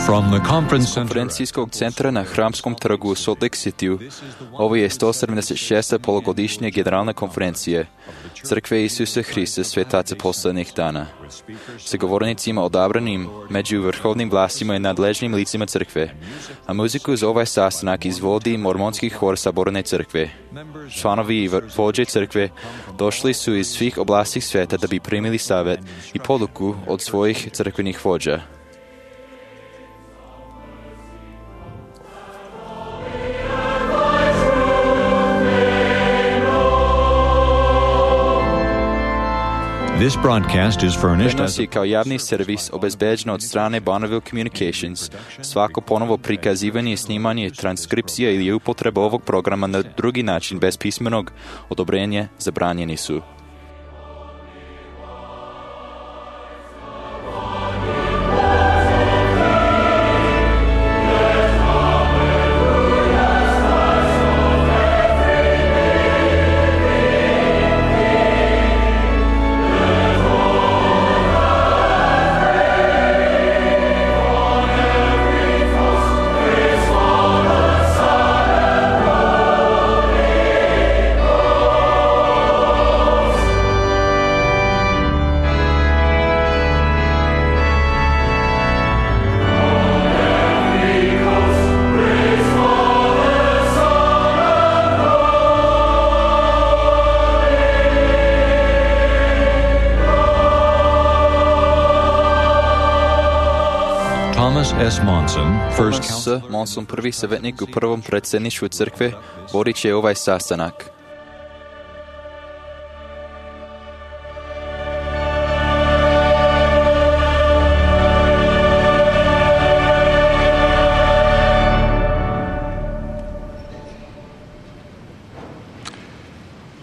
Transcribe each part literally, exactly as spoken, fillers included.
From the conference center konferencijskog centra na Hramskom trgu u Salt Lake Cityu, ovo je sto sedamdeset šesta polugodišnja generalna konferencija Crkve Isusa Hrista Svetaca posljednjih dana. Sa govornicima odabranim među vrhovnim vlastima i nadležnim licima crkve, a muziku za ovaj sastanak izvodi mormonski hor Saborne crkve. Članovi i vođe crkve došli su iz svih oblasti sveta da bi primili savjet i poduku od svojih crkvenih vođa. This broadcast is furnished Prenos as je kao javni servis obezbeđen od strane Bonneville Communications. Svako ponovo prikazivanje, snimanje, transkripcija ili upotreba ovog programa na drugi način bez pismenog odobrenja zabranjeni su. Thomas S. Monson, first Thomas S. Monson, prvi savjetnik u prvom predsjedništvu crkve, vodit će ovaj sastanak.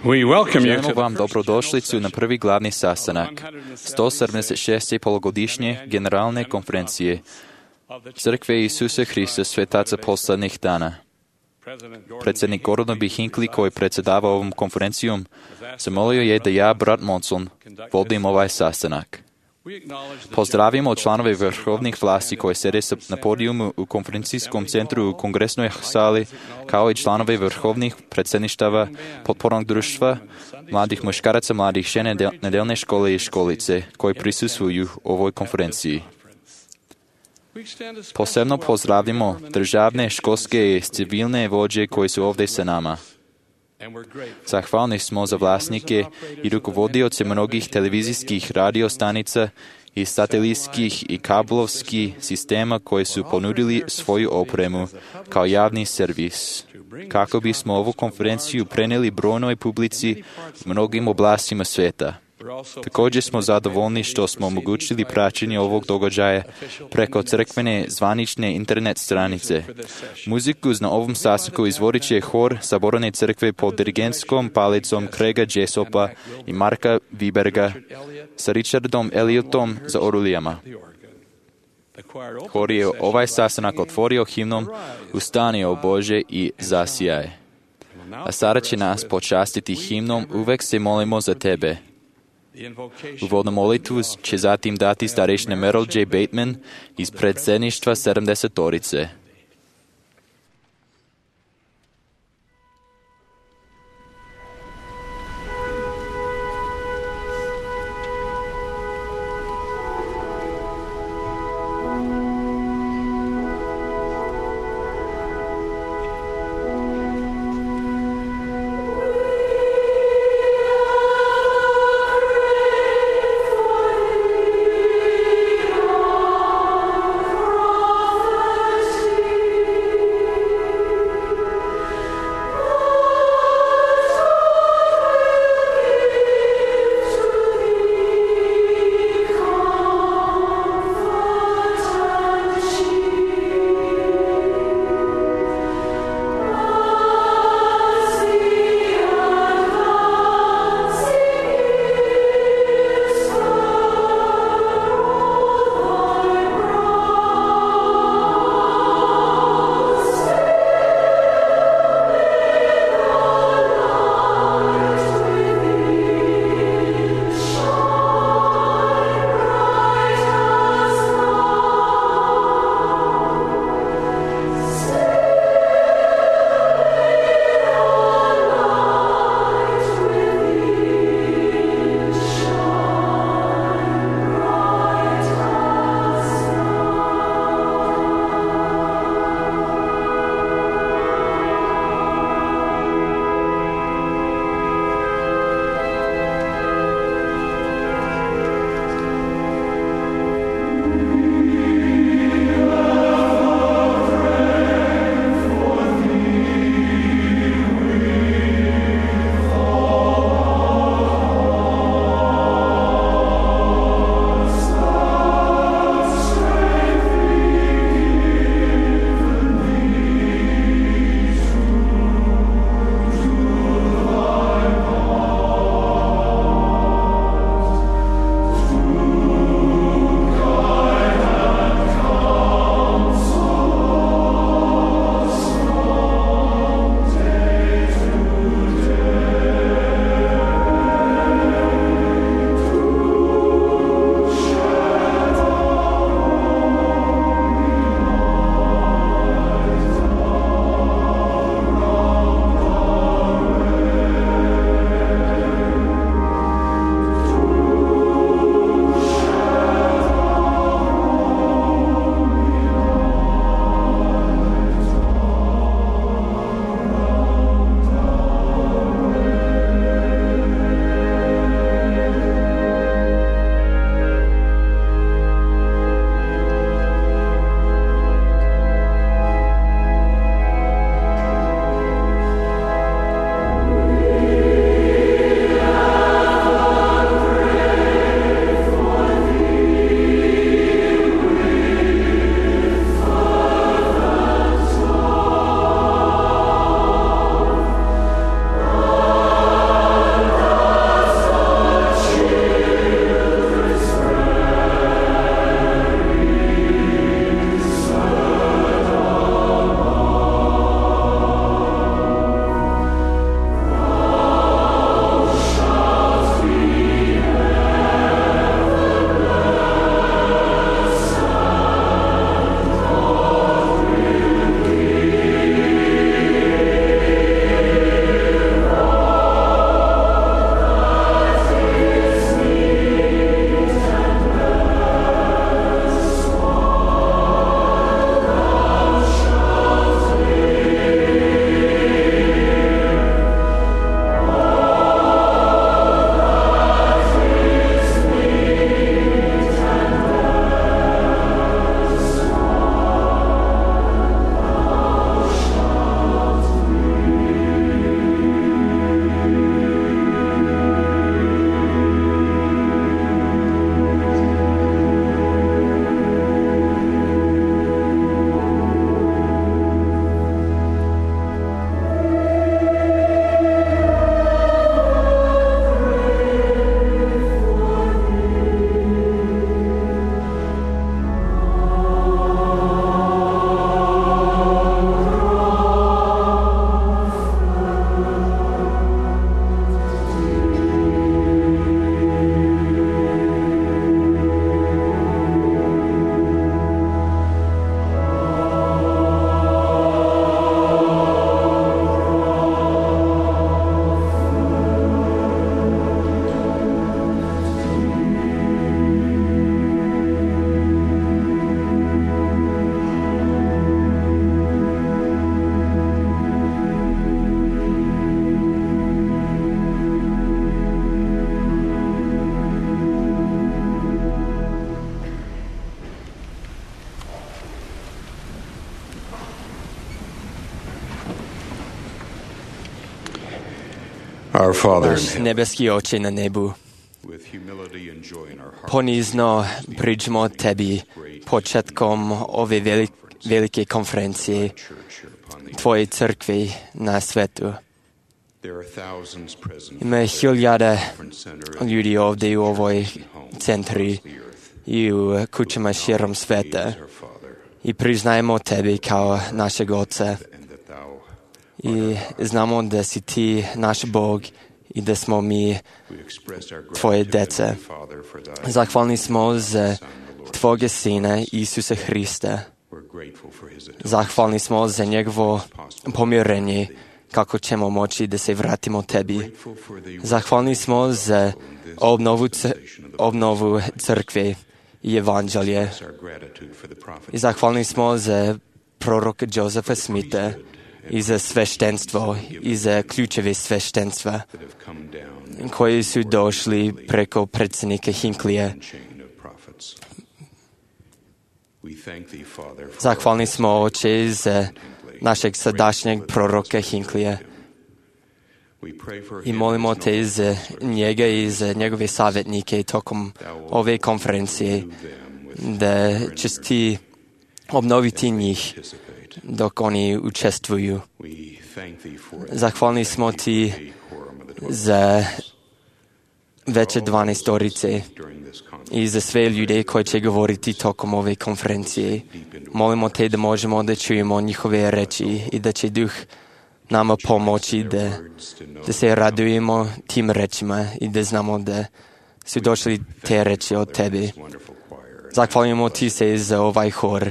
We welcome you Želimo to vam dobrodošlicu na prvi glavni sastanak sto sedamdeset šeste polugodišnje generalne konferencije Crkve Isusa Hrista Svetaca posljednjih dana. Predsjednik Gordon B. Hinckley, koji predsjedava ovom konferencijom, zamolio je da ja, brat Monson, vodim ovaj sastanak. Pozdravimo članove vrhovnih vlasti koji sede na podijumu u konferencijskom centru u kongresnoj sali, kao i članove vrhovnih predsjedništava, potpornog društva, mladih muškaraca, mladih žene, nedeljne škole i školice koji prisustvuju ovoj konferenciji. Posebno pozdravimo državne, školske i civilne vođe koji su ovdje sa nama. Zahvalni smo za vlasnike i rukovodioce mnogih televizijskih radiostanica i satelitskih i kablovskih sistema koji su ponudili svoju opremu kao javni servis, kako bismo ovu konferenciju prenijeli brojnoj publici u mnogim oblastima sveta. Također smo zadovoljni što smo omogućili praćenje ovog događaja preko crkvene zvanične internet stranice. Muziku na ovom sastanku izvodit će hor Saborne crkve pod dirigentskom palicom Craiga Jessopa i Marka Wiberga sa Richardom Elliotom za orulijama. Hor je ovaj sastanak otvorio himnom Ustani, o Bože, i zasijaj. A sada će nas počastiti himnom Uvek se molimo za tebe. Uvodnu molitvu će zatim dati starešina Merrill J. Bateman iz predsjedništva sedamdesetorice. Thank you. Our Father in Наш heaven, небески Отче на небу, with humility and joy in our hearts, понизно приđemo Tebi početkom ove veli, velike konferencije church here upon the Tvoje crkve na svetu. There are thousands present Ima hiljade different center ljudi ovdje u ovoj homes centri across the earth. i u kućama širom sveta. He is our Father, I priznajemo Tebi kao našeg Oca and that Thou i znamo da si Ti naš Bog i da smo mi we express our Tvoje gratitude, deca. Heavenly Father, for Thy Zahvalni smo za Son, the Lord. Tvoga Sina Isusa Hrista. We're grateful for His atonement. Zahvalni smo za njegovo pomirenje kako ćemo moći da se vratimo Tebi. Grateful for the Zahvalni smo za obnovu, c- obnovu crkve i evanđelje. our gratitude for the prophet I zahvalni smo za proroka Josefa Smitha i za sveštenstvo i za ključeve sveštenstva that have come down koji su došli preko predsjednika Hinklija. the chain of prophets. We thank Thee, Father, for Zahvalni smo Oče za našeg sadašnjeg proroka Hinklija we pray for i him molimo and his Te noble za njega i za njegove savjetnike tokom ove konferencije da ćeš Ti obnoviti njih participate. dok oni učestvuju. We thank Thee for Zahvalni smo Ti the quorum of the twelve za veće dvanaestorice during this conference. i za sve ljude koji će govoriti tokom ove konferencije. Molimo Te da možemo da čujemo njihove reči i da će Duh nama pomoći da, da se radujemo tim rečima i da znamo da su došli te reči od Tebe. Wonderful choir. Zahvaljujemo Ti se za ovaj hor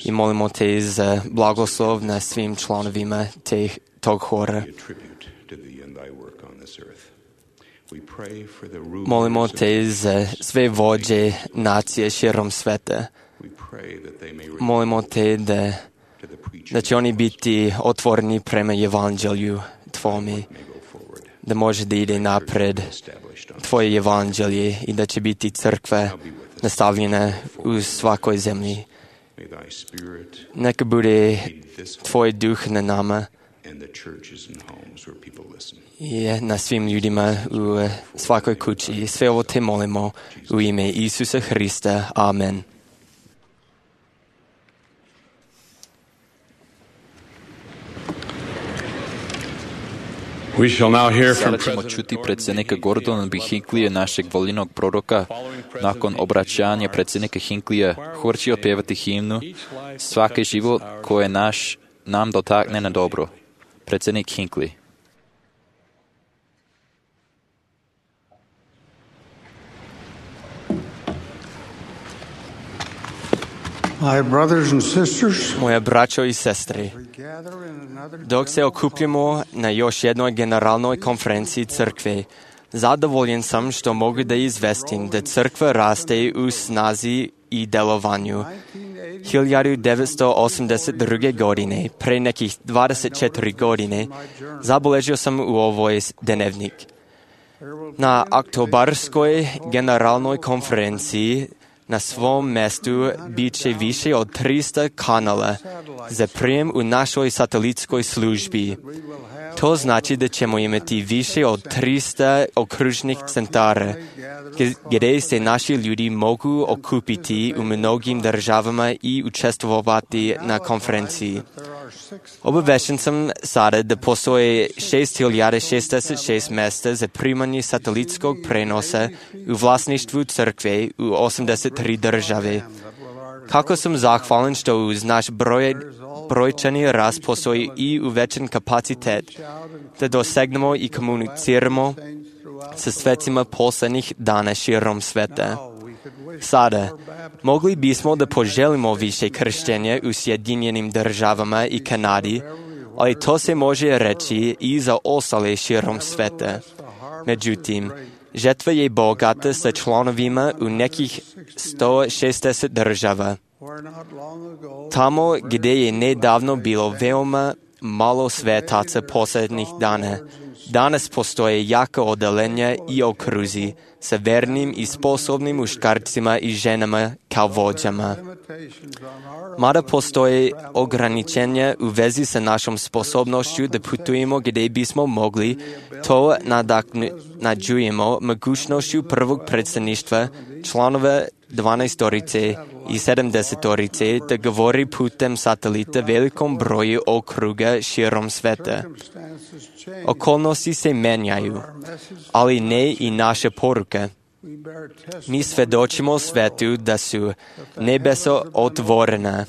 i molimo Te za blagoslov na svim članovima te, tog hora. A tribute to Thee and Thy work on this earth. We pray for the rulers Molimo of- Te za sve vođe nacije širom sveta. We pray that they may Molimo Te da, to the preaching da će oni biti otvoreni prema evanđelju Tvome, may go forward, da može da ide napred established on Tvoje evanđelje i da će biti crkva nastavljena u svakoj zemlji. May Thy Spirit Neka bude this Tvoj duh na nama and the churches and homes where people listen. i na svim ljudima u svakoj kući. Sve ovo Te molimo u ime Isusa Hrista. Amen. We shall now hear Sada ćemo čuti predsjednika Gordona B. Hinklija, našeg voljenog proroka. Nakon obraćanja predsjednika Hinklija, hor će otpjevati himnu Svaki život koje naš nam dotakne na dobro. Predsjednik Hinkley. My brothers and sisters, Moja braćo i sestre, we gather in another dok se okupljamo na još jednoj generalnoj konferenciji crkve, zadovoljen sam što mogu da izvestim da crkva raste u snazi i delovanju. hiljadu devetsto osamdeset druge. godine, pre nekih dvadeset četiri godine, zabeležio sam u ovoj dnevnik. Na oktobarskoj generalnoj konferenciji na svom mestu bit će više od tristo kanala za prijem u našoj satelitskoj službi. To znači da ćemo imati više od tristo okružnih centara, gdje se naši ljudi mogu okupiti u mnogim državama i učestvovati na konferenciji. Obavešten sam sada da postoje šest hiljada šezdeset šest mjesta za primanje satelitskog prenosa u vlasništvu crkve u osamdeset tri države. Kako sam zahvalan što uz naš broj, brojčani rast postoji i uvećan kapacitet da dosegnemo i komuniciramo sa svecima poslednjih dana širom sveta. Sada, mogli bismo da poželimo više krštenja u Sjedinjenim državama i Kanadi, ali to se može reći i za ostale širom sveta. Međutim, žetva je bogata sa članovima u nekih sto šezdeset država. Tamo gdje je nedavno bilo veoma malo svetaca posljednjih dana, Danas postoje jaka odelenja i okruzi sa vernim i sposobnim muškarcima i ženama kao vođama. Mada postoje ograničenja u vezi sa našom sposobnošću da putujemo gdje bismo mogli, to nadoknađujemo mogućnošću prvog predstavništva članova dvanaestorice i sedamdesetorice da govori putem satelita velikom broju okruga širom sveta. Okolnosti se menjaju, ali ne i naše poruke. Mi svedočimo svetu da su nebesa otvorena,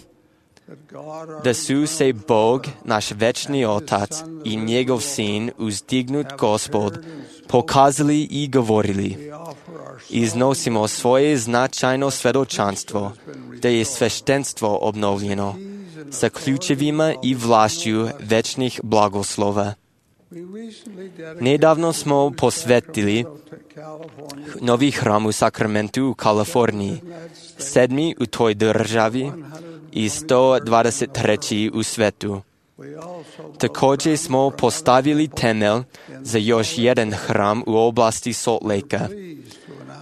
da su se Bog, naš večni Otac i njegov Sin, uzdignut Gospod, pokazali i govorili. Iznosimo svoje značajno svedočanstvo, da je sveštenstvo obnovljeno, sa ključevima i vlašću večnih blagoslova. Nedavno smo posvetili novi hram u Sacramentu u Kaliforniji, sedmi u toj državi i sto dvadeset treći u svetu. Također smo postavili temelj za još jedan hram u oblasti Salt Lakea.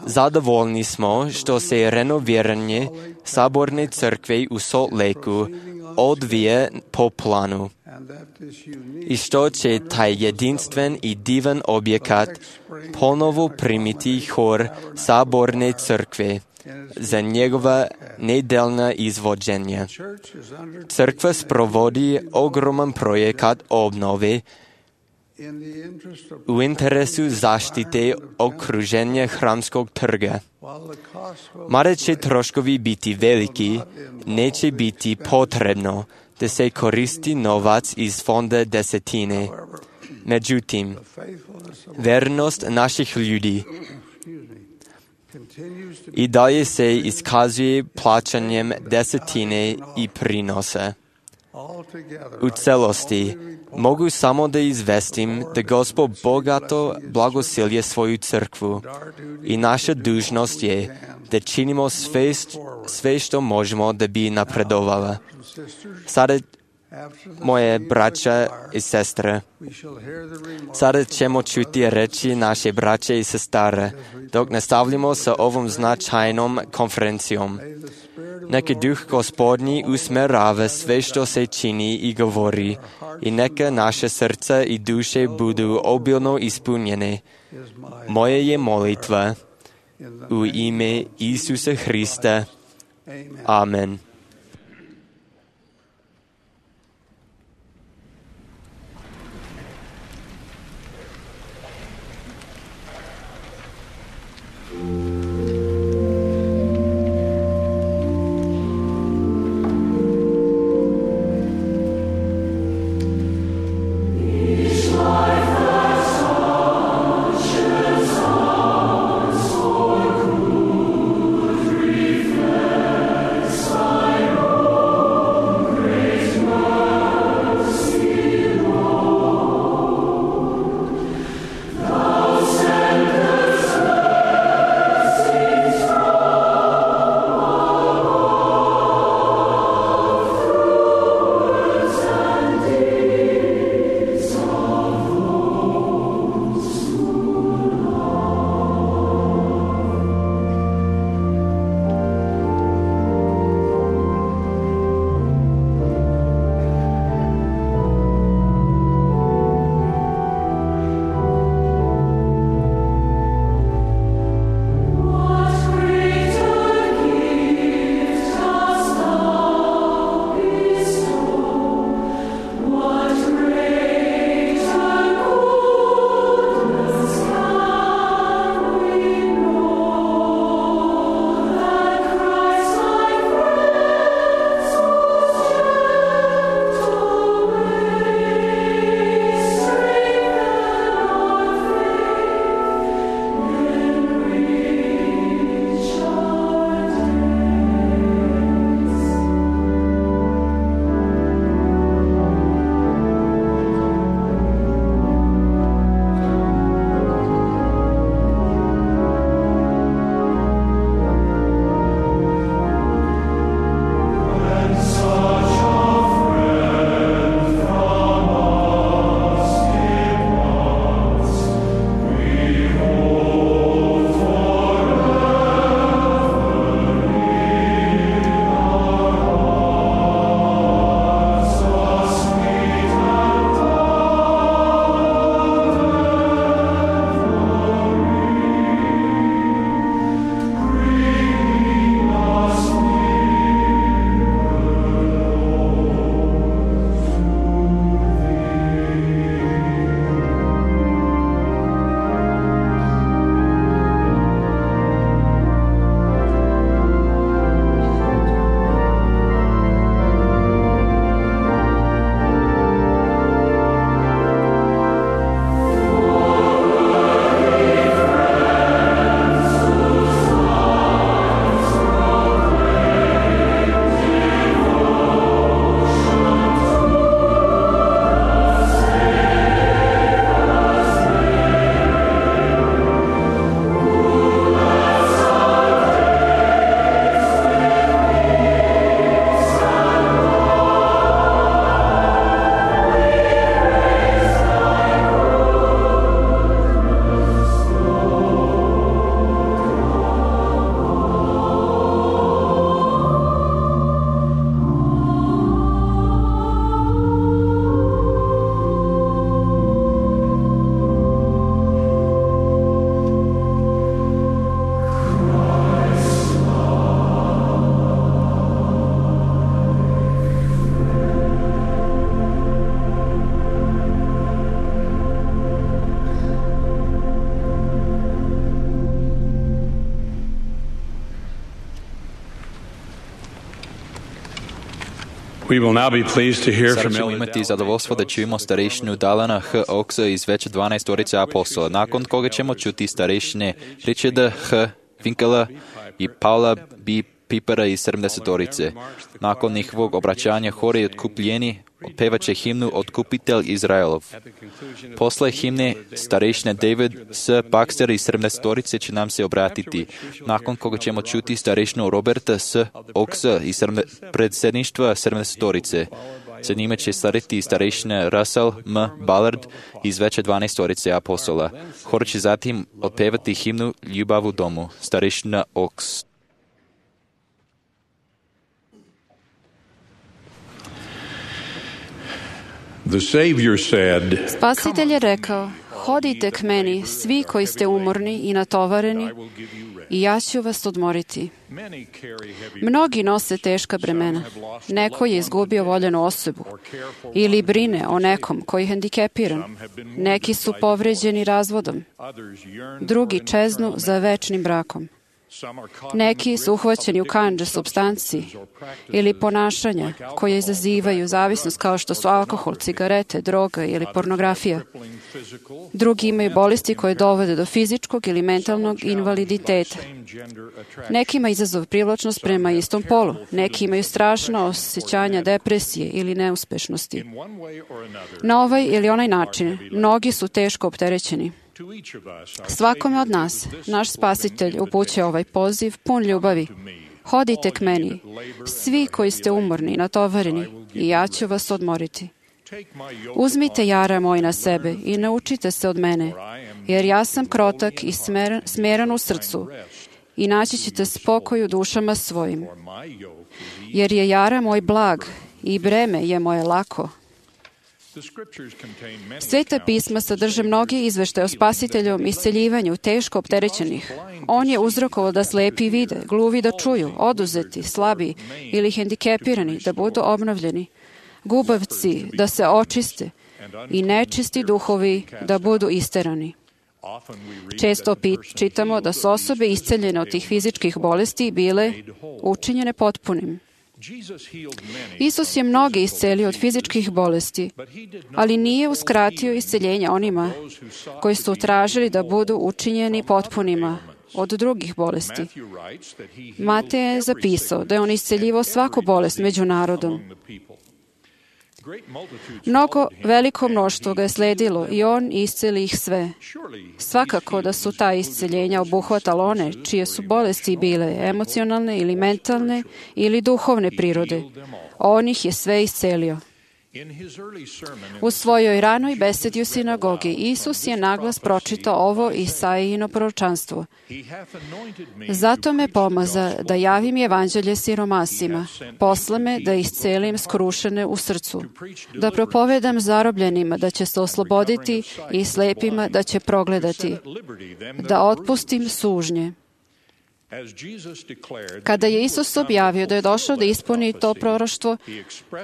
Zadovoljni smo što se renoviranje saborne crkve u Salt Lakeu odvije po planu i što će taj jedinstven i divan objekat ponovo primiti hor saborne crkve za njegova nedeljna izvođenja. Crkva sprovodi ogroman projekat obnove u interesu zaštite okruženja hramskog trga. Mada će troškovi biti veliki, neće biti potrebno da se koristi novac iz fonda desetine. Međutim, vernost naših ljudi i dalje se iskazuje plaćanjem desetine i prinosa. U celosti mogu samo da izvestim da Gospod bogato blagosilje svoju crkvu i naša dužnost je da činimo sve, sve što možemo da bi napredovala. Sada, moje braća i sestre, sada ćemo čuti reći naše braće i sestre dok nastavljamo sa ovom značajnom konferencijom. Neka duh Gospodnji usmerava sve što se čini i govori i neka naše srca i duše budu obilno ispunjene. Moja je molitva u ime Isusa Hrista. Amen. Son We will now be pleased to hear Sada from ćemo Elder imati zadovoljstvo da čujemo starešinu Dalana H. Oaksa iz već dvanaestorice apostola, nakon koga ćemo čuti starešine Richarda H. Winkela i Paula B. Pipera iz sedamdesetorice. Nakon njihovog obraćanja hori otkupljeni otpevaće himnu Otkupitelj Izraelov. Posle himne starešine David S. Baxter iz sedamdesetorice će nam se obratiti, nakon koga ćemo čuti starešinu Roberta S. Oaksa iz predsjedništva sedamdesetorice. Za njime će slediti starešina Russell M. Ballard iz veće dvanaestorice apostola. Hor će zatim otpevati himnu Ljubav u domu. Starešina Oaks. The Savior said, Spasitelj je rekao, hodite k meni, svi koji ste umorni i natovareni, i ja ću vas odmoriti. Mnogi nose teška bremena. Neko je izgubio voljenu osobu ili brine o nekom koji je hendikepiran. Neki su povređeni razvodom. Drugi čeznu za večnim brakom. Neki su uhvaćeni u kandže supstanci ili ponašanja koje izazivaju zavisnost kao što su alkohol, cigarete, droga ili pornografija. Drugi imaju bolesti koje dovode do fizičkog ili mentalnog invaliditeta. Neki imaju izazov privlačnost prema istom polu. Neki imaju strašno osjećanja depresije ili neuspešnosti. Na ovaj ili onaj način mnogi su teško opterećeni. Svakome od nas, naš Spasitelj upućuje ovaj poziv pun ljubavi. Hodite k meni, svi koji ste umorni i natovareni, i ja ću vas odmoriti. Uzmite jara moj na sebe i naučite se od mene, jer ja sam krotak i smeran, smeran u srcu, i naći ćete spokoj u dušama svojim. Jer je jara moj blag i breme je moje lako. Sveta pisma sadrže mnogi izveštaje o Spasiteljovom isceljivanju teško opterećenih. On je uzrokovao da slepi vide, gluvi da čuju, oduzeti, slabi ili hendikepirani da budu obnovljeni, gubavci da se očiste i nečisti duhovi da budu isterani. Često čitamo da su osobe isceljene od tih fizičkih bolesti bile učinjene potpunim. Isus je mnoge iscelio od fizičkih bolesti, ali nije uskratio isceljenje onima koji su tražili da budu učinjeni potpunima od drugih bolesti. Matej je zapisao da je on isceljivao svaku bolest među narodom. Mnogo veliko mnoštvo ga je sledilo i on isceli ih sve. Svakako da su ta isceljenja obuhvatala one čije su bolesti bile emocionalne ili mentalne ili duhovne prirode. On ih je sve iscelio. U svojoj ranoj besedi u sinagogi Isus je naglas pročitao ovo Isaijino proročanstvo. Zato me pomaza da javim evanđelje siromasima, posla me da iscelim skrušene u srcu, da propovedam zarobljenima da će se osloboditi i slepima da će progledati, da otpustim sužnje. Kada je Isus objavio da je došao da ispuni to proroštvo,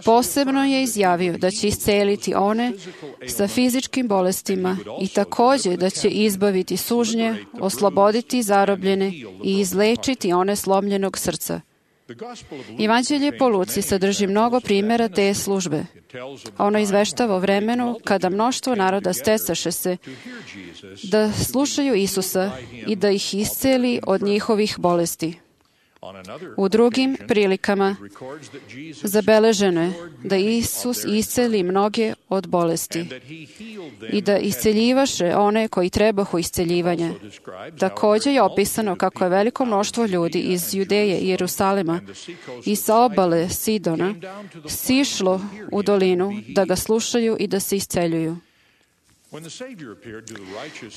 posebno je izjavio da će isceliti one sa fizičkim bolestima i također da će izbaviti sužnje, osloboditi zarobljene i izlečiti one slomljenog srca. Evanđelje po Luci sadrži mnogo primjera te službe. Ono izveštava o vremenu kada mnoštvo naroda stecaše se da slušaju Isusa i da ih isceli od njihovih bolesti. U drugim prilikama zabeleženo je da Isus isceli mnoge od bolesti i da isceljivaše one koji trebahu isceljivanja. Također je opisano kako je veliko mnoštvo ljudi iz Judeje i Jerusalima i sa obale Sidona sišlo u dolinu da ga slušaju i da se isceljuju.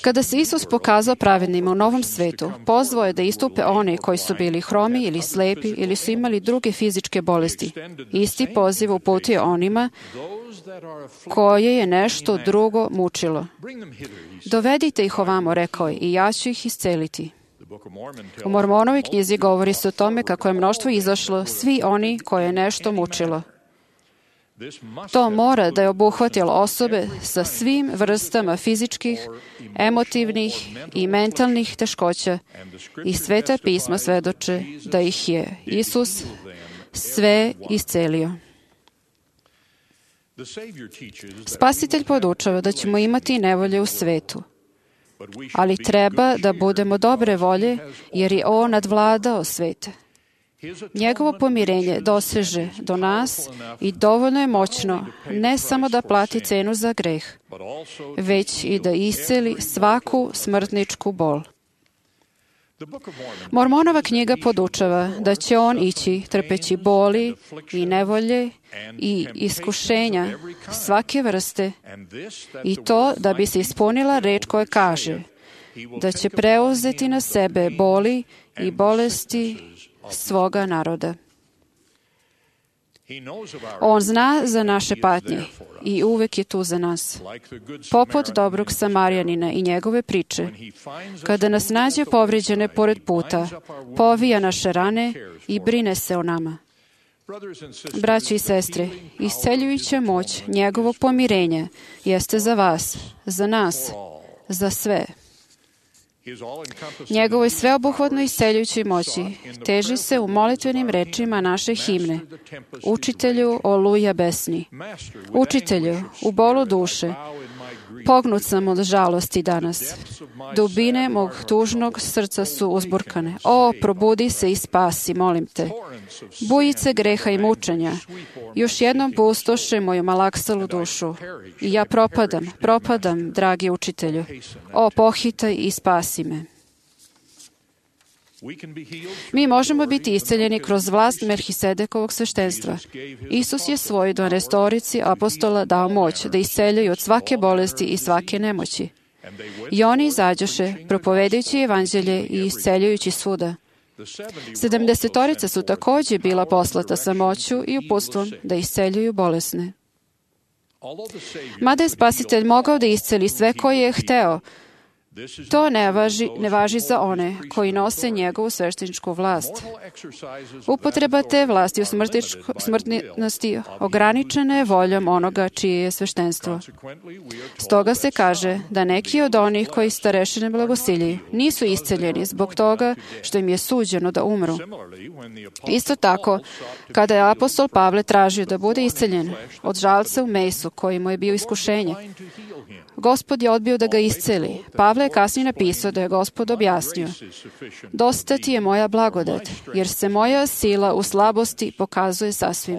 Kada se Isus pokazao pravednima u novom svetu, pozvao je da istupe one koji su bili hromi ili slepi ili su imali druge fizičke bolesti. Isti poziv uputio onima koje je nešto drugo mučilo. Dovedite ih ovamo, rekao je, i ja ću ih isceliti. U Mormonovoj knjizi govori se o tome kako je mnoštvo izašlo, svi oni koje je nešto mučilo. To mora da je obuhvatilo osobe sa svim vrstama fizičkih, emotivnih i mentalnih teškoća i Sveta pisma svedoče da ih je Isus sve iscelio. Spasitelj podučava da ćemo imati nevolje u svetu, ali treba da budemo dobre volje, jer je On nadvladao svete. Njegovo pomirenje doseže do nas i dovoljno je moćno ne samo da plati cenu za greh, već i da isceli svaku smrtničku bol. Mormonova knjiga podučava da će on ići trpeći boli i nevolje i iskušenja svake vrste, i to da bi se ispunila reč koja kaže da će preuzeti na sebe boli i bolesti svoga naroda. On zna za naše patnje i uvek je tu za nas. Poput dobrog Samarijanina i njegove priče, kada nas nađe povređene pored puta, povija naše rane i brine se o nama. Braći i sestre, isceljujuća moć njegovog pomirenja jeste za vas, za nas, za sve. Njegovoj sveobuhvatnoj isceljujućoj moći teži se u molitvenim rečima naše himne. Učitelju, oluja besni. Učitelju, u bolu duše, pognut sam od žalosti danas. Dubine mog tužnog srca su uzburkane. O, probudi se i spasi, molim te. Bujice greha i mučenja još jednom pustoše moju malaksalu dušu. I ja propadam, propadam, dragi učitelju. O, pohitaj i spasi me. Mi možemo biti isceljeni kroz vlast Melhisedekovog sveštenstva. Isus je svoj dvanaestorici apostola dao moć da isceljuju od svake bolesti i svake nemoći. I oni izađoše, propovedajući evanđelje i isceljujući svuda. Sedamdesetorica su također bila poslata sa moću i uputstvom da isceljuju bolesne. Mada je Spasitelj mogao da isceli sve koje je hteo, to ne važi, ne važi za one koji nose njegovu svešteničku vlast. Upotreba te vlasti u smrtnosti ograničena je voljom onoga čije je sveštenstvo. Stoga se kaže da neki od onih koji starešine blagosiljuju nisu isceljeni zbog toga što im je suđeno da umru. Isto tako, kada je apostol Pavle tražio da bude isceljen od žalca u mesu koji mu je bio iskušenje, Gospod je odbio da ga isceli. Pavle je kasnije napisao da je Gospod objasnio: dosta ti je moja blagodat, jer se moja sila u slabosti pokazuje sasvim.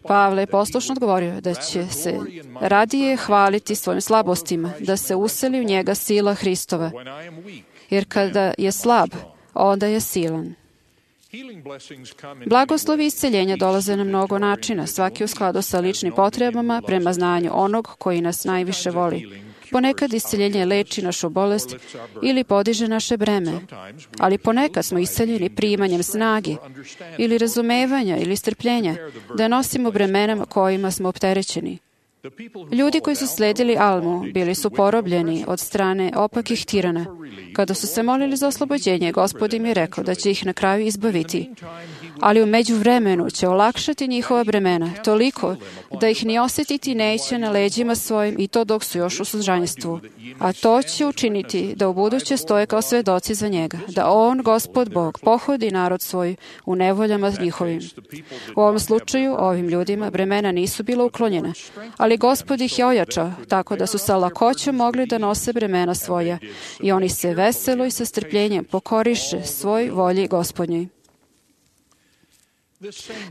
Pavle je poslušno odgovorio da će se radije hvaliti svojim slabostima, da se useli u njega sila Hristova, jer kada je slab, onda je silan. Blagoslovi isceljenja dolaze na mnogo načina, svaki u skladu sa ličnim potrebama prema znanju onog koji nas najviše voli. Ponekad isceljenje leči našu bolest ili podiže naše breme, ali ponekad smo isceljeni primanjem snage ili razumevanja ili strpljenja da nosimo bremenama kojima smo opterećeni. Ljudi koji su sledili Almu bili su porobljeni od strane opakih tirana. Kada su se molili za oslobođenje, Gospod im je rekao da će ih na kraju izbaviti. Ali u međuvremenu će olakšati njihova bremena, toliko da ih ni osjetiti neće na leđima svojim, i to dok su još u sužanjstvu. A to će učiniti da u buduće stoje kao svedoci za njega, da on, Gospod Bog, pohodi narod svoj u nevoljama njihovim. U ovom slučaju, ovim ljudima bremena nisu bila uklonjena, ali Gospod ih je ojačao, tako da su sa lakoćom mogli da nose bremena svoja, i oni se veselo i sa strpljenjem pokoriše svoj volji Gospodnjoj.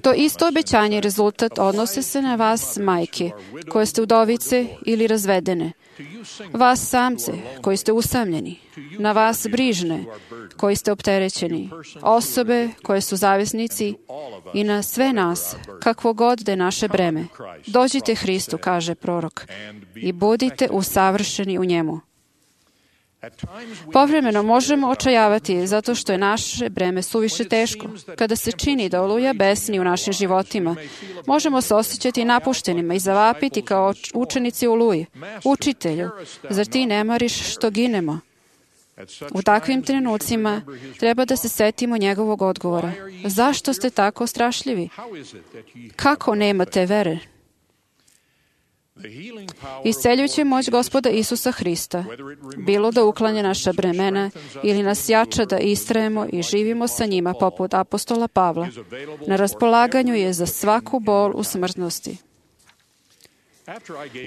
To isto obećanje i rezultat odnose se na vas, majke, koje ste udovice ili razvedene, vas samce, koji ste usamljeni, na vas brižne, koji ste opterećeni, osobe koje su zavisnici i na sve nas, kakvo god da je naše breme. Dođite Hristu, kaže prorok, i budite usavršeni u njemu. Povremeno možemo očajavati zato što je naše breme suviše teško. Kada se čini da oluja besni u našim životima, možemo se osjećati napuštenima i zavapiti kao učenici oluji. Učitelju, zar ti ne mariš što ginemo? U takvim trenucima treba da se setimo njegovog odgovora. Zašto ste tako strašljivi? Kako nemate vere? Isceljujuća moć Gospoda Isusa Hrista, bilo da uklanja naša bremena ili nas jača da istrajemo i živimo sa njima poput apostola Pavla, na raspolaganju je za svaku bol u smrtnosti.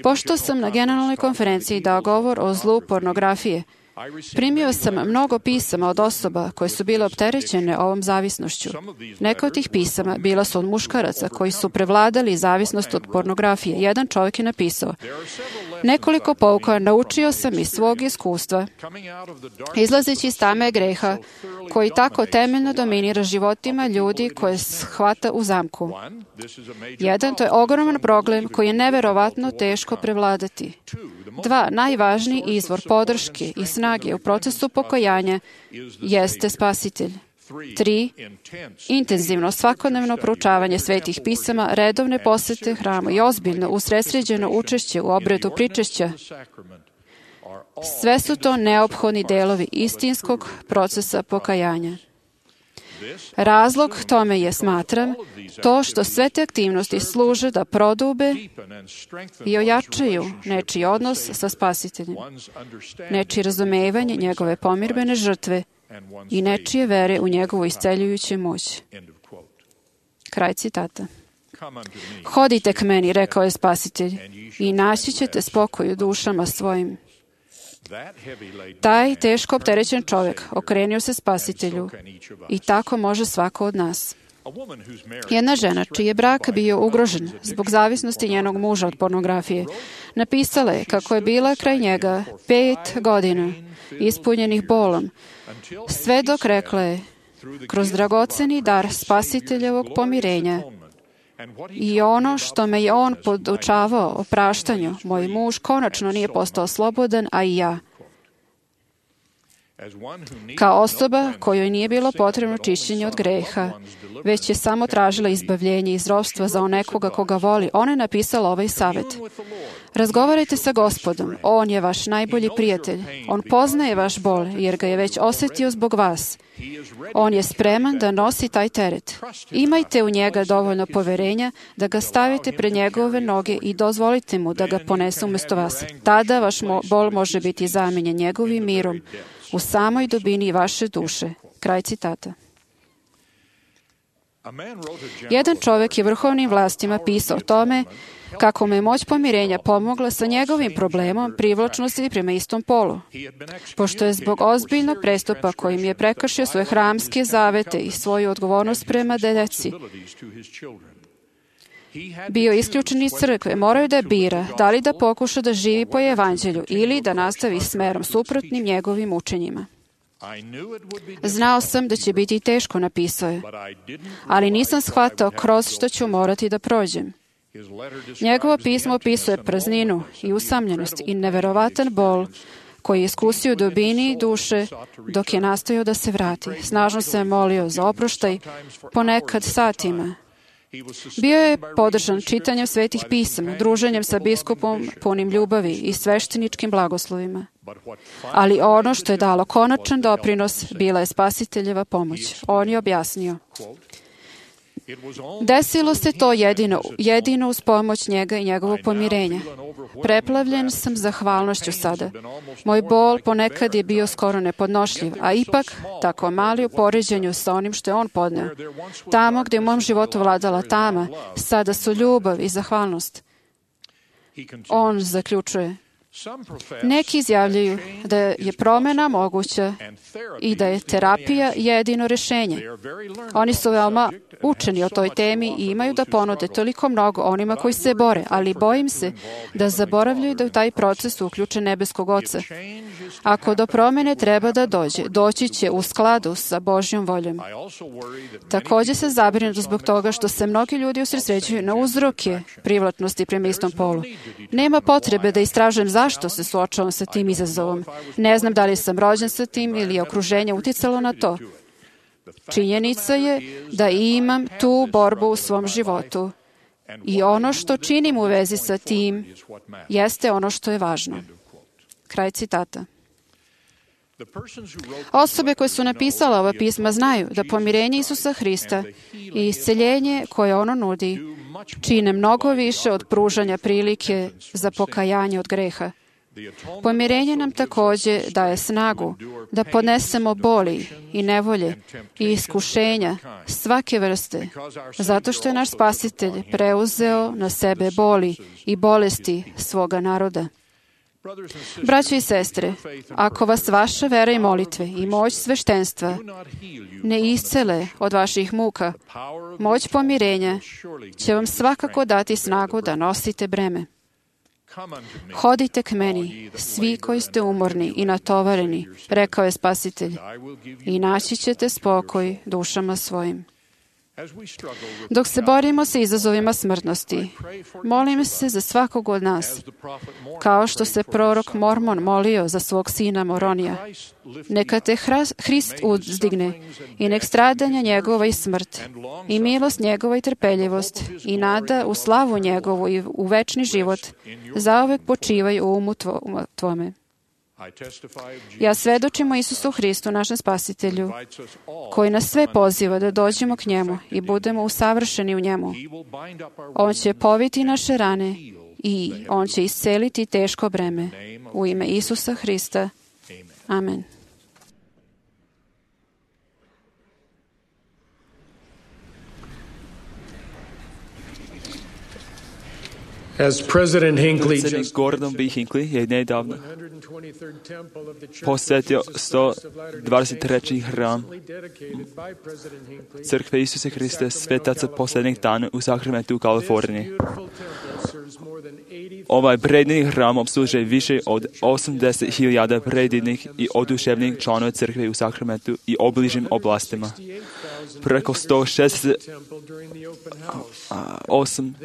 Pošto sam na generalnoj konferenciji dao govor o zlu pornografije, primio sam mnogo pisama od osoba koje su bile opterećene ovom zavisnošću. Neka od tih pisama bila su od muškaraca koji su prevladali zavisnost od pornografije. Jedan čovjek je napisao: nekoliko pouka naučio sam iz svog iskustva, izlazeći iz tame greha koji tako temeljno dominira životima ljudi koje shvata u zamku. Jedan, to je ogroman problem koji je neverovatno teško prevladati. Dva, najvažniji izvor podrške i snage u procesu pokajanja jeste Spasitelj. Tri, intenzivno svakodnevno proučavanje svetih pisama, redovne posete hramu i ozbiljno usredsređeno učešće u obredu pričešća. Sve su to neophodni delovi istinskog procesa pokajanja. Razlog tome je, smatram, to što sve te aktivnosti služe da prodube i ojačaju nečiji odnos sa Spasiteljem, nečije razumevanje njegove pomirbene žrtve i nečije vere u njegovu isceljujuću moć. Kraj citata. Hodite k meni, rekao je Spasitelj, i naći ćete spokoj u dušama svojim. Taj teško opterećen čovjek okrenio se Spasitelju i tako može svako od nas. Jedna žena, čiji je brak bio ugrožen zbog zavisnosti njenog muža od pornografije, napisala je kako je bila kraj njega pet godina ispunjenih bolom, sve dok, rekla je, kroz dragoceni dar Spasiteljevog pomirenja i ono što me je on podučavao o praštanju, moj muž konačno nije postao slobodan, a i ja. Kao osoba kojoj nije bilo potrebno čišćenje od greha, već je samo tražila izbavljenje iz ropstva za nekoga koga voli, ona je napisala ovaj savjet. Razgovarajte sa Gospodom, on je vaš najbolji prijatelj. On poznaje vaš bol, jer ga je već osjetio zbog vas. On je spreman da nosi taj teret. Imajte u njega dovoljno poverenja da ga stavite pred njegove noge i dozvolite mu da ga ponese umjesto vas. Tada vaš bol može biti zamijenjen njegovim mirom u samoj dubini vaše duše. Kraj citata. Jedan čovjek je vrhovnim vlastima pisao o tome kako mu je moć pomirenja pomogla sa njegovim problemom privlačnosti prema istom polu. Pošto je zbog ozbiljnog prestupa kojim je prekršio svoje hramske zavete i svoju odgovornost prema deci, bio isključen iz crkve, morao je da bira da li da pokuša da živi po evanđelju ili da nastavi smerom suprotnim njegovim učenjima. Znao sam da će biti teško, napisao je, ali nisam shvatao kroz što ću morati da prođem. Njegovo pismo opisuje prazninu i usamljenost i neverovatan bol koji je iskusio u dubini duše dok je nastojao da se vrati. Snažno se molio za oproštaj, ponekad satima. Bio je podržan čitanjem svetih pisama, druženjem sa biskupom punim ljubavi i svešteničkim blagoslovima. Ali ono što je dalo konačan doprinos bila je Spasiteljeva pomoć. On je objasnio: desilo se to jedino, jedino uz pomoć njega i njegovog pomirenja. Preplavljen sam zahvalnošću sada. Moj bol ponekad je bio skoro nepodnošljiv, a ipak tako mali u poređenju sa onim što je on podneo. Tamo gdje u mom životu vladala tama, sada su ljubav i zahvalnost. On zaključuje: neki izjavljaju da je promjena moguća i da je terapija jedino rješenje. Oni su veoma učeni o toj temi i imaju da ponude toliko mnogo onima koji se bore, ali bojim se da zaboravljaju da u taj proces uključe nebeskog Oca. Ako do promjene treba da dođe, doći će u skladu sa Božjom voljom. Također se zabrinuti zbog toga što se mnogi ljudi usredsređuju na uzroke privlačnosti prema istom polu. Nema potrebe da istražujem zašto se suočavam sa tim izazovom. Ne znam da li sam rođen sa tim ili je okruženje uticalo na to. Činjenica je da imam tu borbu u svom životu i ono što činim u vezi sa tim jeste ono što je važno. Kraj citata. Osobe koje su napisale ova pisma znaju da pomirenje Isusa Hrista i isceljenje koje ono nudi čine mnogo više od pružanja prilike za pokajanje od greha. Pomirenje nam također daje snagu da podnesemo boli i nevolje i iskušenja svake vrste, zato što je naš Spasitelj preuzeo na sebe boli i bolesti svoga naroda. Braćo i sestre, ako vas vaša vera i molitve i moć sveštenstva ne iscele od vaših muka, moć pomirenja će vam svakako dati snagu da nosite breme. Hodite k meni, svi koji ste umorni i natovareni, rekao je Spasitelj, i naći ćete spokoj dušama svojim. Dok se borimo sa izazovima smrtnosti, molim se za svakog od nas, kao što se prorok Mormon molio za svog sina Moronija. Neka te Hrist uzdigne i nek stradanja njegova i smrt, i milost njegova i trpeljivost, i nada u slavu njegovu i u večni život, zauvek počivaj u umu tvome. Ja svedočim o Isusu Hristu, našem Spasitelju, koji nas sve poziva da dođemo k njemu i budemo usavršeni u njemu. On će poviti naše rane i on će isceliti teško breme. U ime Isusa Hrista. Amen. As President Hinckley Predsjednik just Gordon B. Hinckley je nedavno posvetio sto dvadeset treći hram Crkve Isuse Hriste svetaca posljednjih dana u Sacramento u Kaliforniji. Ovaj predivni hram obslužuje više od osamdeset hiljada predivnih i oduševnih članova crkve u Sacramentu i obližnjim oblastima. Preko sto šezdeset osam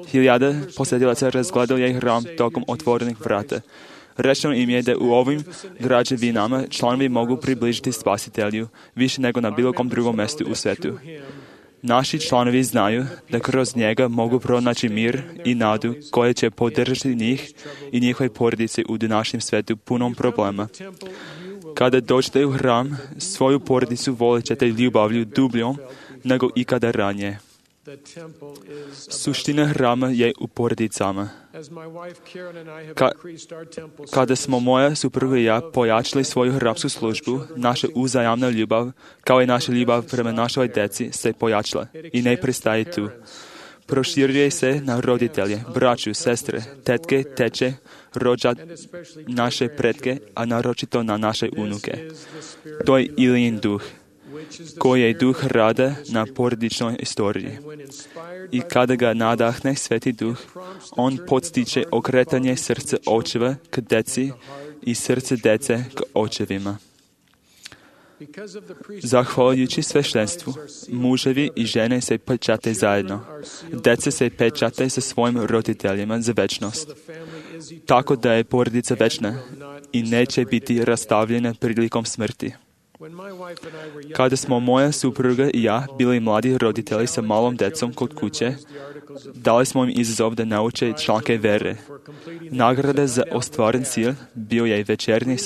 hiljada posjetilaca razgledalo je hram tokom otvorenih vrata. Rečeno im je da u ovim građevinama članovi mogu približiti Spasitelju više nego na bilo kom drugom mjestu u svetu. Naši članovi znaju da kroz njega mogu pronaći mir i nadu koje će podržati njih i njihove porodice u današnjem svetu punom problema. Kada dođete u hram, svoju porodicu volit ćete ljubavlju dubljom nego ikada ranije. Suština hrama je u porodicama. Ka, kada smo moja supruga i ja pojačali svoju hramsku službu, naša uzajamna ljubav, kao i naša ljubav prema našoj djeci, se pojačala i ne prestaje tu. Proširuje se na roditelje, braću, sestre, tetke, teče, rođak, naše pretke, a naročito na naše unuke. To je Ilijin duh, koji je duh rada na porodičnoj istoriji. I kada ga nadahne Sveti duh, on podstiče okretanje srca očeva k deci i srce dece k očevima. Zahvaljujući sveštenstvu, muževi i žene se pečate zajedno. Deca se pečate sa svojim roditeljima za večnost. Tako da je porodica večna i neće biti rastavljena prilikom smrti. Kada smo moja supruga i ja bili mladi roditelji sa malom decom kod kuće, dali smo im izazov da nauče članke vere. Nagrada za ostvaren cilj bio je večernji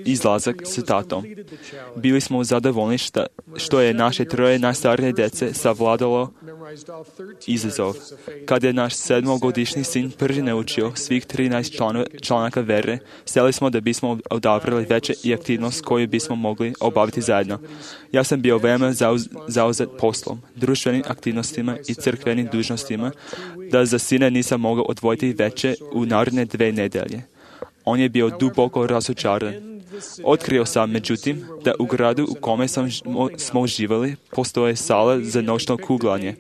izlazak s tatom. Bili smo zadovoljni šta, što je naše troje najstarije dece savladalo izazov. Kada je naš sedmogodišnji sin prvi naučio svih trinaest članaka vere, sjeli smo da bismo odabrali veće i aktivnost koju bismo mogli obaviti zajedno. Ja sam bio veoma zauz, zauzet poslom, društvenim aktivnostima i crkvenim dužnostima, da za sina nisam mogao odvojiti veće u naredne dve nedelje. On je bio duboko razočaran. Otkrio sam, međutim, da u gradu u kome sam, smo uživali postoje sala za noćno kuglanje.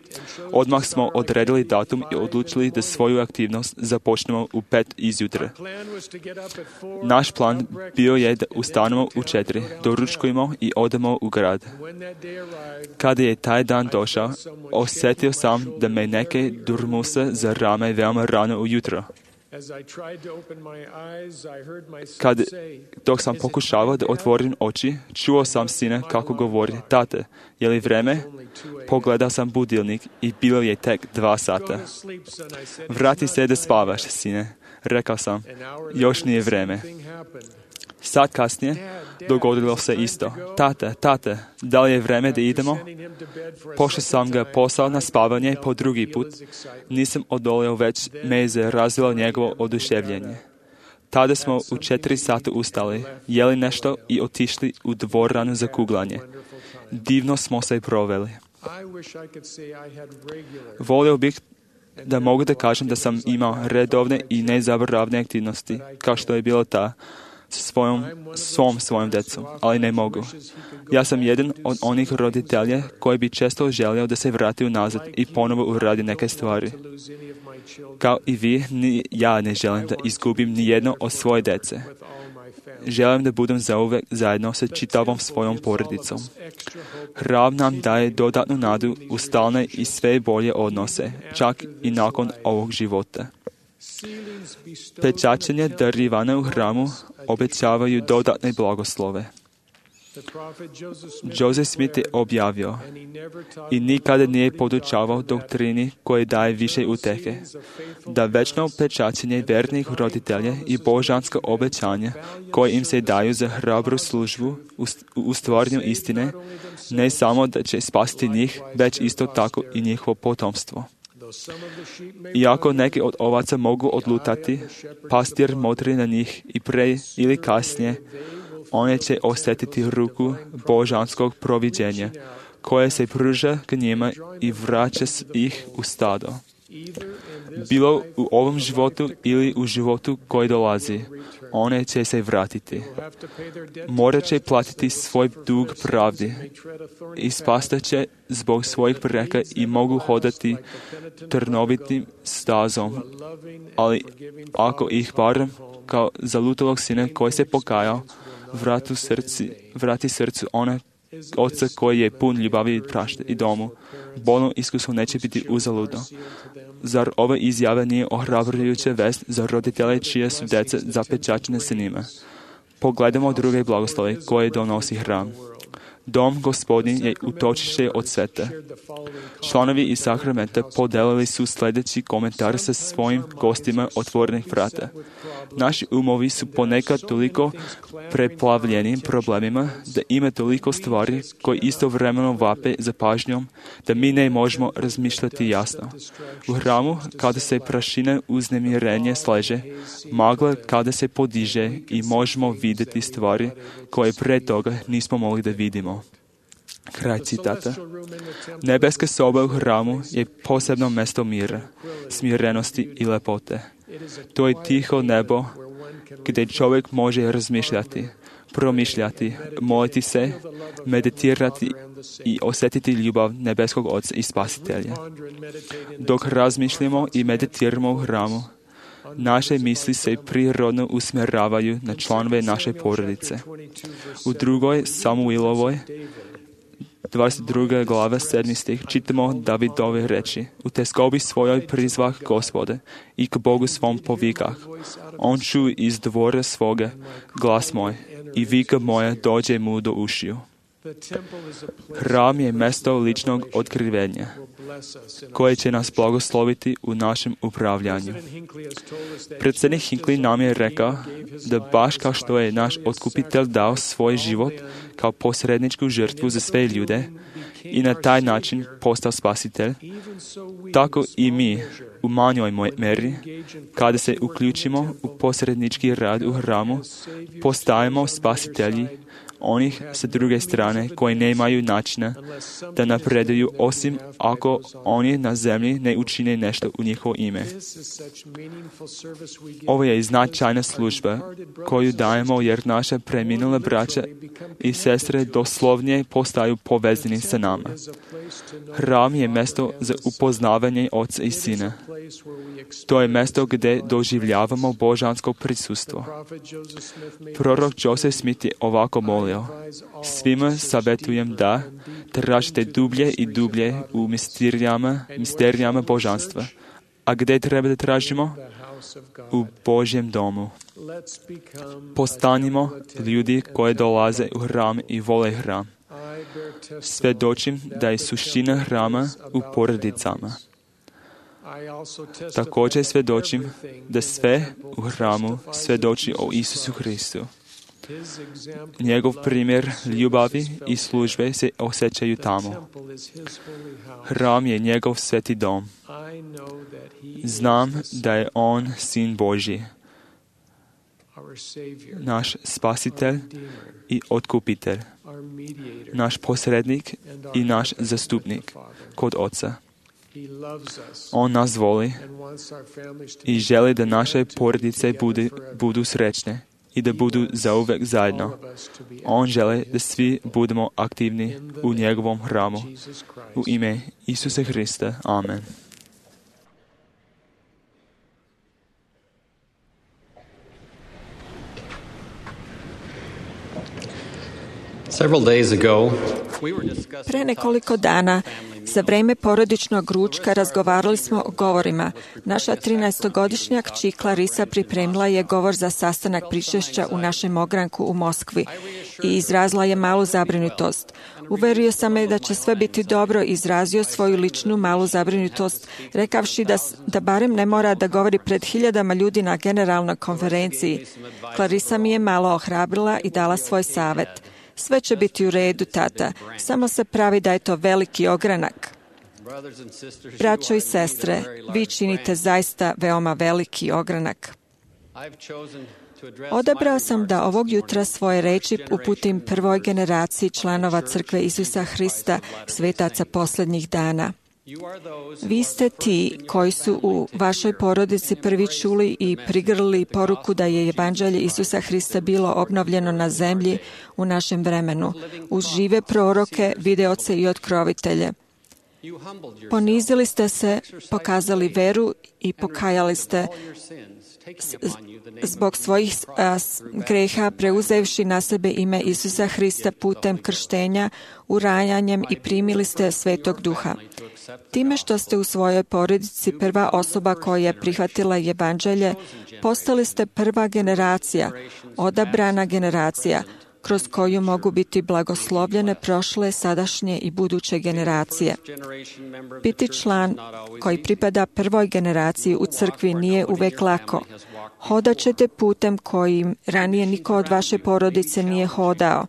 Odmah smo odredili datum i odlučili da svoju aktivnost započnemo u pet izjutra. Naš plan bio je da ustanemo u četiri, doručkujemo i odemo u grad. Kada je taj dan došao, osjetio sam da me neke durmusa za rame veoma rano ujutro. Kad, dok sam pokušavao da otvorim oči, čuo sam sina kako govori: "Tate, je li vreme?" Pogledao sam budilnik i bilo je tek dva sata. "Vrati se da spavaš, sine," rekao sam. "Još nije vreme." Sat kasnije dogodilo se isto. "Tate, tate, da li je vreme da idemo?" Pošto sam ga poslao na spavanje po drugi put, nisam odolio, već me je zarazilo njegovo oduševljenje. Tada smo u četiri sata ustali, jeli nešto i otišli u dvoranu za kuglanje. Divno smo se proveli. Volio bih da mogu da kažem da sam imao redovne i nezaboravne aktivnosti, kao što je bilo ta sa svojom, svom svojom decom, ali ne mogu. Ja sam jedan od onih roditelja koji bi često želio da se vrati unazad i ponovo uradi neke stvari. Kao i vi, ni ja ne želim da izgubim ni jedno od svoje dece. Želim da budem zauvek zajedno sa čitavom svojom porodicom. Hram nam daje dodatnu nadu u stalne i sve bolje odnose, čak i nakon ovog života. Pečaćenje darivana u hramu obećavaju dodatne blagoslove. Joseph Smith je objavio i nikada nije podučavao doktrini koje daje više utehe, da večno pečaćenje vernih roditelja i božanska obećanja koje im se daju za hrabru službu u stvaranju istine, ne samo da će spasiti njih, već isto tako i njihovo potomstvo. Iako neki od ovaca mogu odlutati, pastir motri na njih i pre ili kasnije one će osjetiti ruku božanskog proviđenja, koje se pruža k njima i vraća ih u stado. Bilo u ovom životu ili u životu koji dolazi, one će se vratiti. Morat će platiti svoj dug pravdi. Ispastat će zbog svojih preka i mogu hodati trnovitim stazom. Ali ako ih barem kao zalutalog sina koji se pokajao, vrati srci, vrati srcu ona oca koji je pun ljubavi i prašte i domu, bolno iskustvo neće biti uzaludno. Zar ova izjava nije ohrabrujuća vest za roditelje čije su deca zapečaćene sa njima? Pogledamo druge blagoslove koje donosi hram. Dom Gospodin je utočište od sveta. Članovi iz sakramenta podelili su sljedeći komentar sa svojim gostima otvorenih vrata. Naši umovi su ponekad toliko preplavljeni problemima da ima toliko stvari koji istovremeno vape za pažnjom da mi ne možemo razmišljati jasno. U hramu, kada se prašina uznemirenje sleže, magla kada se podiže i možemo vidjeti stvari koje pre toga nismo mogli da vidimo. Kraj citata. Nebeska soba u hramu je posebno mesto mira, smirenosti i lepote. To je tiho nebo gdje čovjek može razmišljati, promišljati, moliti se, meditirati i osjetiti ljubav nebeskog Oca i Spasitelja. Dok razmišljamo i meditiramo u hramu, naše misli se prirodno usmjeravaju na članove naše porodice. U drugoj Samuilovoj dvadeset druga glava sedmi stih čitamo Davidove reči: u teskobi svojoj prizvah Gospode i k Bogu svom povikah. On čuje iz dvora svoga glas moj i vika moja dođe mu do ušiju. Hram je mesto ličnog otkrivenja koje će nas blagosloviti u našem upravljanju. Predsjednik Hinckley nam je rekao da baš kao što je naš otkupitelj dao svoj život kao posredničku žrtvu za sve ljude i na taj način postao spasitelj, tako i mi u manjoj meri, kada se uključimo u posrednički rad u hramu, postajemo spasitelji onih sa druge strane koji nemaju načina da napreduju osim ako oni na zemlji ne učine nešto u njihovo ime. Ovo je značajna služba koju dajemo jer naša preminula braća i sestre doslovnije postaju povezani sa nama. Hram je mjesto za upoznavanje Oca i Sina. To je mjesto gdje doživljavamo božansko prisustvo. Prorok Joseph Smith je ovako molio: svima savjetujem da tražite dublje i dublje u misterijama, misterijama božanstva. A gdje treba da tražimo? U Božjem domu. Postanimo ljudi koji dolaze u hram i vole hram. Svjedočim da je suština hrama u porodicama. Također svjedočim da sve u hramu svjedoči o Isusu Hristu. Njegov primjer ljubavi i službe se osjećaju tamo. Hram je njegov sveti dom. Znam da je on Sin Božji. naš spasitelj i otkupitelj, naš posrednik i naš zastupnik kod Oca. On nas voli i želi da naše porodice budu, budu srećne i da budu zauvek zajedno. On želi da svi budemo aktivni u njegovom hramu. U ime Isusa Hrista. Amen. Pre nekoliko dana, za vreme porodičnog ručka, razgovarali smo o govorima. Naša trinaestogodišnja kći Clarisa pripremila je govor za sastanak pričešća u našem ogranku u Moskvi i izrazila je malu zabrinutost. Uverio sam me da će sve biti dobro i izrazio svoju ličnu malu zabrinutost, rekavši da, da barem ne mora da govori pred hiljadama ljudi na generalnoj konferenciji. Clarisa mi je malo ohrabrila i dala svoj savet. Sve će biti u redu, tata. Samo se pravi da je to veliki ogranak. Braćo i sestre, vi činite zaista veoma veliki ogranak. Odabrao sam da ovog jutra svoje reči uputim prvoj generaciji članova Crkve Isusa Hrista, svetaca posljednjih dana. Vi ste ti koji su u vašoj porodici prvi čuli i prigrlili poruku da je evanđelje Isusa Hrista bilo obnovljeno na zemlji u našem vremenu, uz žive proroke, videoce i otkrovitelje. Ponizili ste se, pokazali veru i pokajali ste zbog svojih a, greha, preuzevši na sebe ime Isusa Hrista putem krštenja, urajanjem i primili ste Svetog Duha. Time što ste u svojoj porodici prva osoba koja je prihvatila evanđelje, postali ste prva generacija, odabrana generacija, kroz koju mogu biti blagoslovljene prošle, sadašnje i buduće generacije. Biti član koji pripada prvoj generaciji u crkvi nije uvek lako. Hodat ćete putem kojim ranije niko od vaše porodice nije hodao.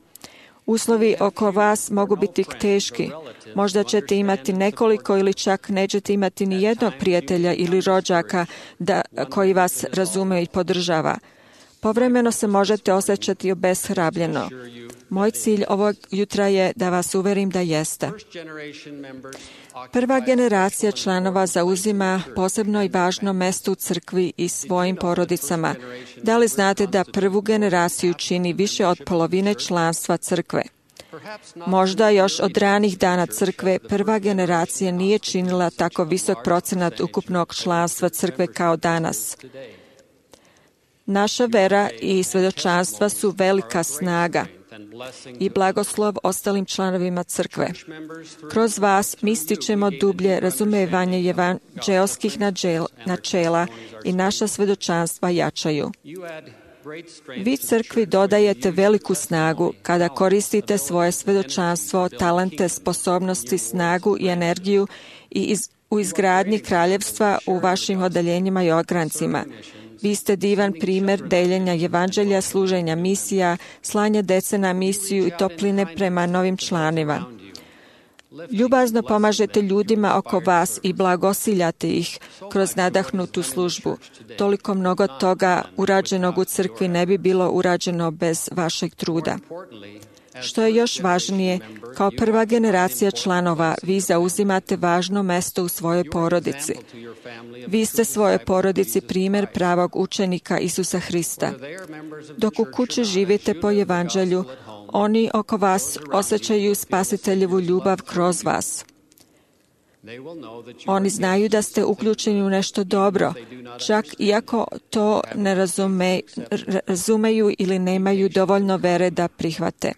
Uslovi oko vas mogu biti teški. Možda ćete imati nekoliko ili čak nećete imati ni jednog prijatelja ili rođaka da, koji vas razume i podržava. Povremeno se možete osjećati obeshrabljeno. Moj cilj ovog jutra je da vas uverim da jeste. Prva generacija članova zauzima posebno i važno mesto u crkvi i svojim porodicama. Da li znate da prvu generaciju čini više od polovine članstva crkve? Možda još od ranih dana crkve prva generacija nije činila tako visok procenat ukupnog članstva crkve kao danas. Naša vera i svedočanstva su velika snaga i blagoslov ostalim članovima crkve. Kroz vas mi stičemo dublje razumevanje evanđelskih načela i naša svedočanstva jačaju. Vi crkvi dodajete veliku snagu kada koristite svoje svedočanstvo, talente, sposobnosti, snagu i energiju i iz, u izgradnji kraljevstva u vašim odeljenjima i ograncima. Vi ste divan primjer deljenja evanđelja, služenja misija, slanja dece na misiju i topline prema novim članima. Ljubazno pomažete ljudima oko vas i blagosiljate ih kroz nadahnutu službu. Toliko mnogo toga urađenog u crkvi ne bi bilo urađeno bez vašeg truda. Što je još važnije, kao prva generacija članova, vi zauzimate važno mesto u svojoj porodici. Vi ste svojoj porodici primjer pravog učenika Isusa Hrista. Dok u kući živite po evanđelju, oni oko vas osjećaju spasiteljevu ljubav kroz vas. Oni znaju da ste uključeni u nešto dobro, čak iako to ne razume, razumeju ili nemaju dovoljno vere da prihvate.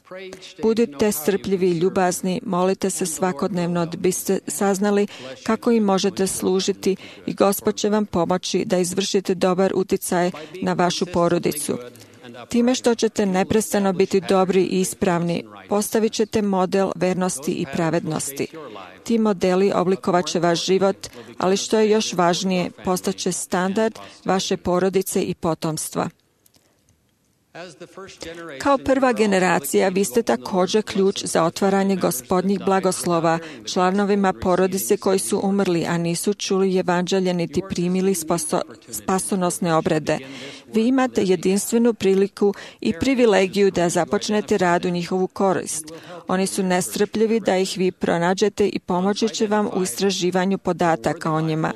Budite strpljivi i ljubazni, molite se svakodnevno da biste saznali kako im možete služiti i Gospod će vam pomoći da izvršite dobar uticaj na vašu porodicu. Time što ćete neprestano biti dobri i ispravni, postavit ćete model vernosti i pravednosti. Ti modeli oblikovat će vaš život, ali što je još važnije, postaće standard vaše porodice i potomstva. Kao prva generacija, vi ste također ključ za otvaranje Gospodnjih blagoslova članovima porodice koji su umrli, a nisu čuli evanđelje niti primili spaso, spasonosne obrede. Vi imate jedinstvenu priliku i privilegiju da započnete rad u njihovu korist. Oni su nestrpljivi da ih vi pronađete i pomoći će vam u istraživanju podataka o njima.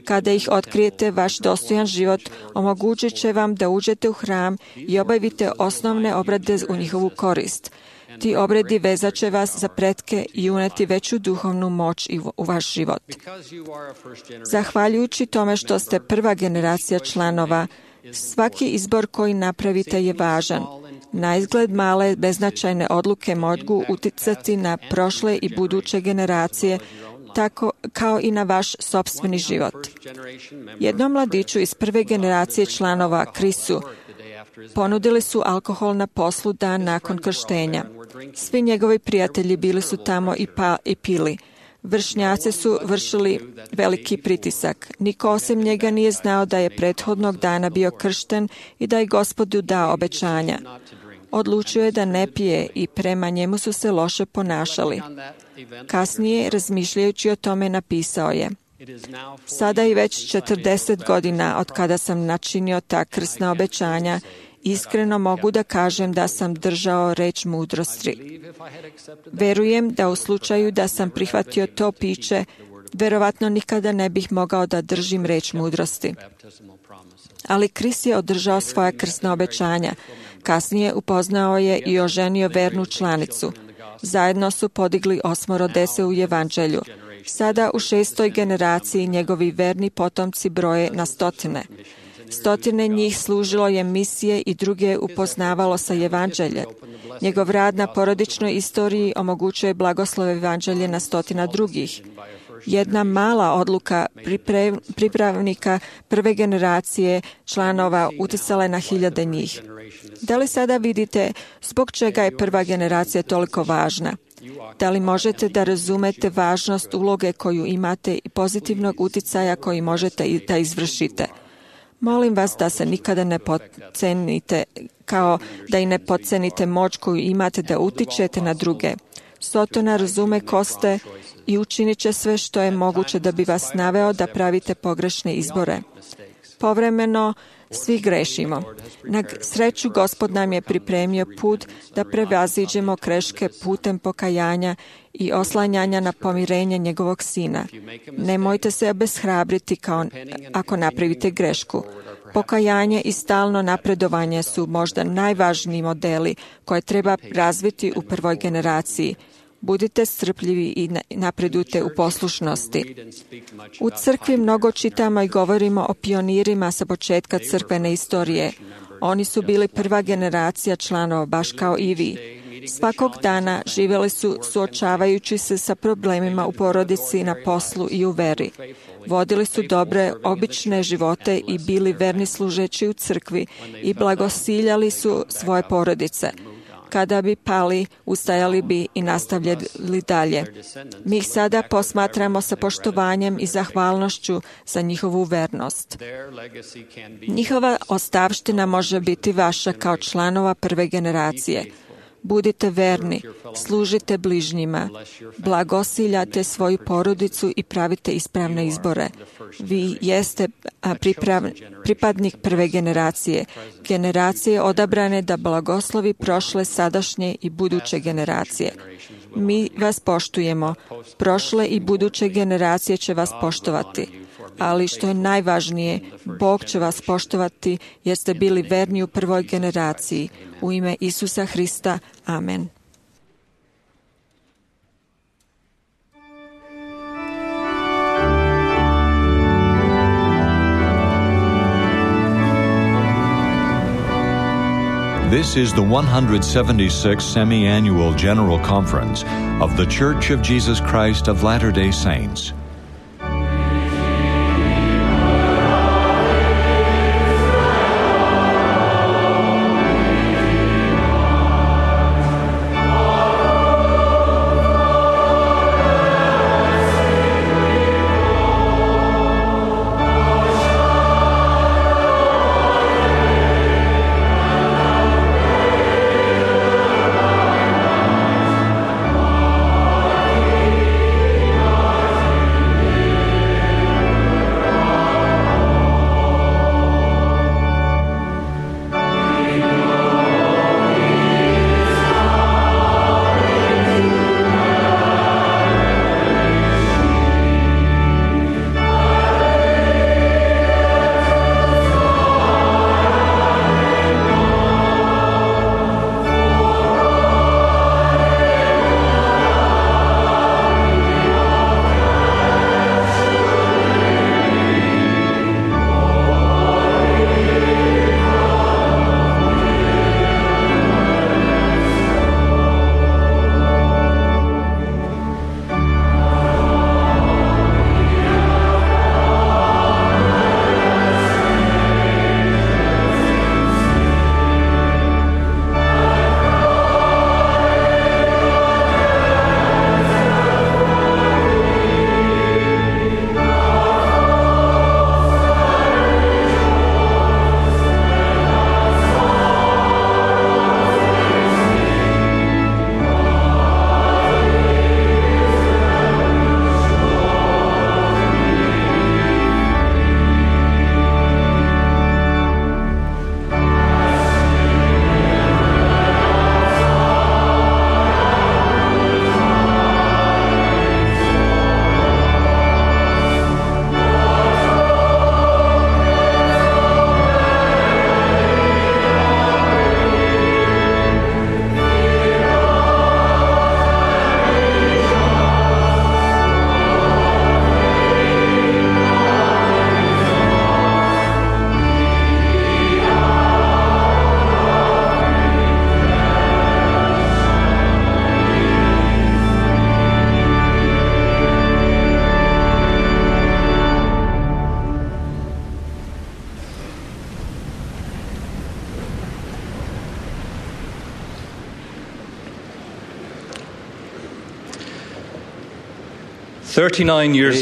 Kada ih otkrijete, vaš dostojan život omogućit će vam da uđete u hram i obavite osnovne obrade u njihovu korist. Ti obredi vezat će vas za pretke i uneti veću duhovnu moć u vaš život. Zahvaljujući tome što ste prva generacija članova, svaki izbor koji napravite je važan. Na izgled male, beznačajne odluke mogu uticati na prošle i buduće generacije, tako kao i na vaš sopstveni život. Jednom mladiću iz prve generacije članova, Chrisu, ponudili su alkohol na poslu dan nakon krštenja. Svi njegovi prijatelji bili su tamo i, pa, i pili. Vršnjaci su vršili veliki pritisak. Niko osim njega nije znao da je prethodnog dana bio kršten i da je Gospodu dao obećanja. Odlučio je da ne pije i prema njemu su se loše ponašali. Kasnije, razmišljajući o tome, napisao je: Sada je već četrdeset godina od kada sam načinio ta krsna obećanja. Iskreno mogu da kažem da sam držao reč mudrosti. Verujem da u slučaju da sam prihvatio to piće, verovatno nikada ne bih mogao da držim reč mudrosti. Ali Kris je održao svoja krsna obećanja. Kasnije upoznao je i oženio vernu članicu. Zajedno su podigli osmoro dece u evanđelju. Sada u šestoj generaciji njegovi verni potomci broje na stotine. Stotine njih služilo je misije i druge upoznavalo sa evanđeljem. Njegov rad na porodičnoj istoriji omogućuje blagoslove evanđelje na stotina drugih. Jedna mala odluka pripravnika prve generacije članova uticala je na hiljade njih. Da li sada vidite zbog čega je prva generacija toliko važna? Da li možete da razumete važnost uloge koju imate i pozitivnog uticaja koji možete i da izvršite? Molim vas da se nikada ne podcenite, kao da i ne podcenite moć koju imate da utičete na druge. Sotona razume ko ste i učinit će sve što je moguće da bi vas naveo da pravite pogrešne izbore. Povremeno svi grešimo. Na sreću Gospod nam je pripremio put da prevaziđemo greške putem pokajanja i oslanjanja na pomirenje njegovog sina. Nemojte se obeshrabriti kao ako napravite grešku. Pokajanje i stalno napredovanje su možda najvažniji modeli koje treba razviti u prvoj generaciji. Budite strpljivi i napredujte u poslušnosti. U crkvi mnogo čitamo i govorimo o pionirima sa početka crkvene istorije. Oni su bili prva generacija članova, baš kao i vi. Svakog dana živjeli su suočavajući se sa problemima u porodici, na poslu i u veri. Vodili su dobre, obične živote i bili verni služeći u crkvi i blagosiljali su svoje porodice. Kada bi pali, ustajali bi i nastavljali dalje. Mi ih sada posmatramo sa poštovanjem i zahvalnošću za njihovu vernost. Njihova ostavština može biti vaša kao članova prve generacije. Budite verni, služite bližnjima, blagosiljate svoju porodicu i pravite ispravne izbore. Vi jeste priprav, pripadnik prve generacije, generacije odabrane da blagoslovi prošle, sadašnje i buduće generacije. Mi vas poštujemo, prošle i buduće generacije će vas poštovati. Ali što je najvažnije, Bog će vas poštovati jer ste bili verni u prvoj generaciji. U ime Isusa Hrista. Amen. This is the one hundred seventy-sixth Semi-Annual General Conference of The Church of Jesus Christ of Latter-day Saints.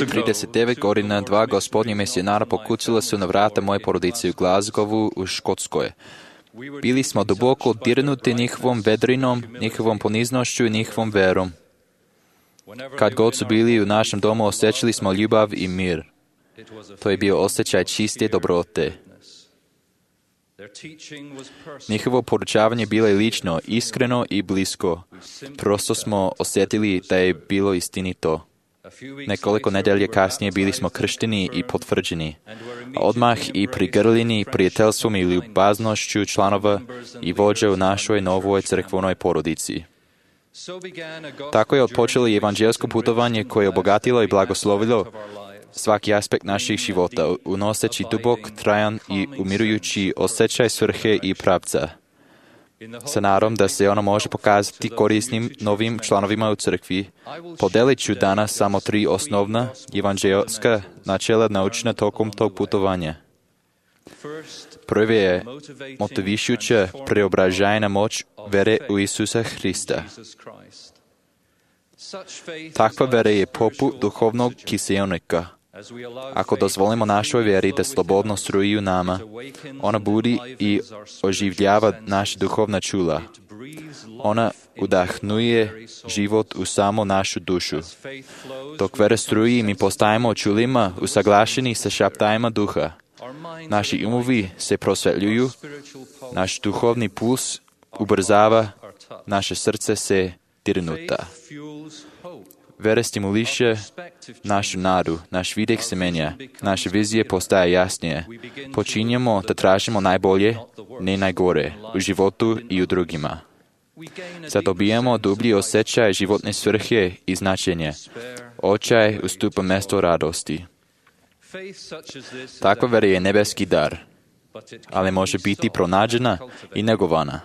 trideset devet godina dva gospodnja misionara pokucala su na vrata moje porodice u Glasgowu u Škotskoj. Bili smo duboko dirnuti njihovom vedrinom, njihovom poniznošću i njihovom verom. Kad god su bili u našem domu, osjećali smo ljubav i mir. To je bio osjećaj čiste dobrote. Njihovo poručavanje bilo je lično, iskreno i blisko. Prosto smo osjetili da je bilo istinito. Nekoliko nedelje kasnije bili smo kršteni i potvrđeni. Odmah i prigrljeni prijateljstvom i ljubaznošću članova i vođa u našoj novoj crkvenoj porodici. Tako je odpočelo i evanđelsko putovanje koje je obogatilo i blagoslovilo svaki aspekt naših života, unoseći dubok, trajan i umirujući osjećaj svrhe i pravca. Sa nadom da se ono može pokazati korisnim novim članovima u crkvi, podelit ću danas samo tri osnovna evanđelska načela naučena tokom tog putovanja. Prvi je motivišuća preobražajna moć vere u Isusa Hrista. Takva vera je poput duhovnog kiseonika. Ako dozvolimo našoj vjeri da slobodno struji u nama, ona budi i oživljava naša duhovna čula. Ona udahnuje život u samo našu dušu. Dok vera struji, mi postajemo čulima usaglašeni sa šaptajima duha. Naši umovi se prosvetljuju, naš duhovni puls ubrzava, naše srce se dirnuta. Vera stimuliše našu nadu, naš vidik se menja, naše vizije postaje jasnije. Počinjemo da tražimo najbolje, ne najgore, u životu i u drugima. Zadobijamo dublji osjećaj životne svrhe i značenje. Očaj ustupa mjesto radosti. Takva vera je nebeski dar, ali može biti pronađena i negovana.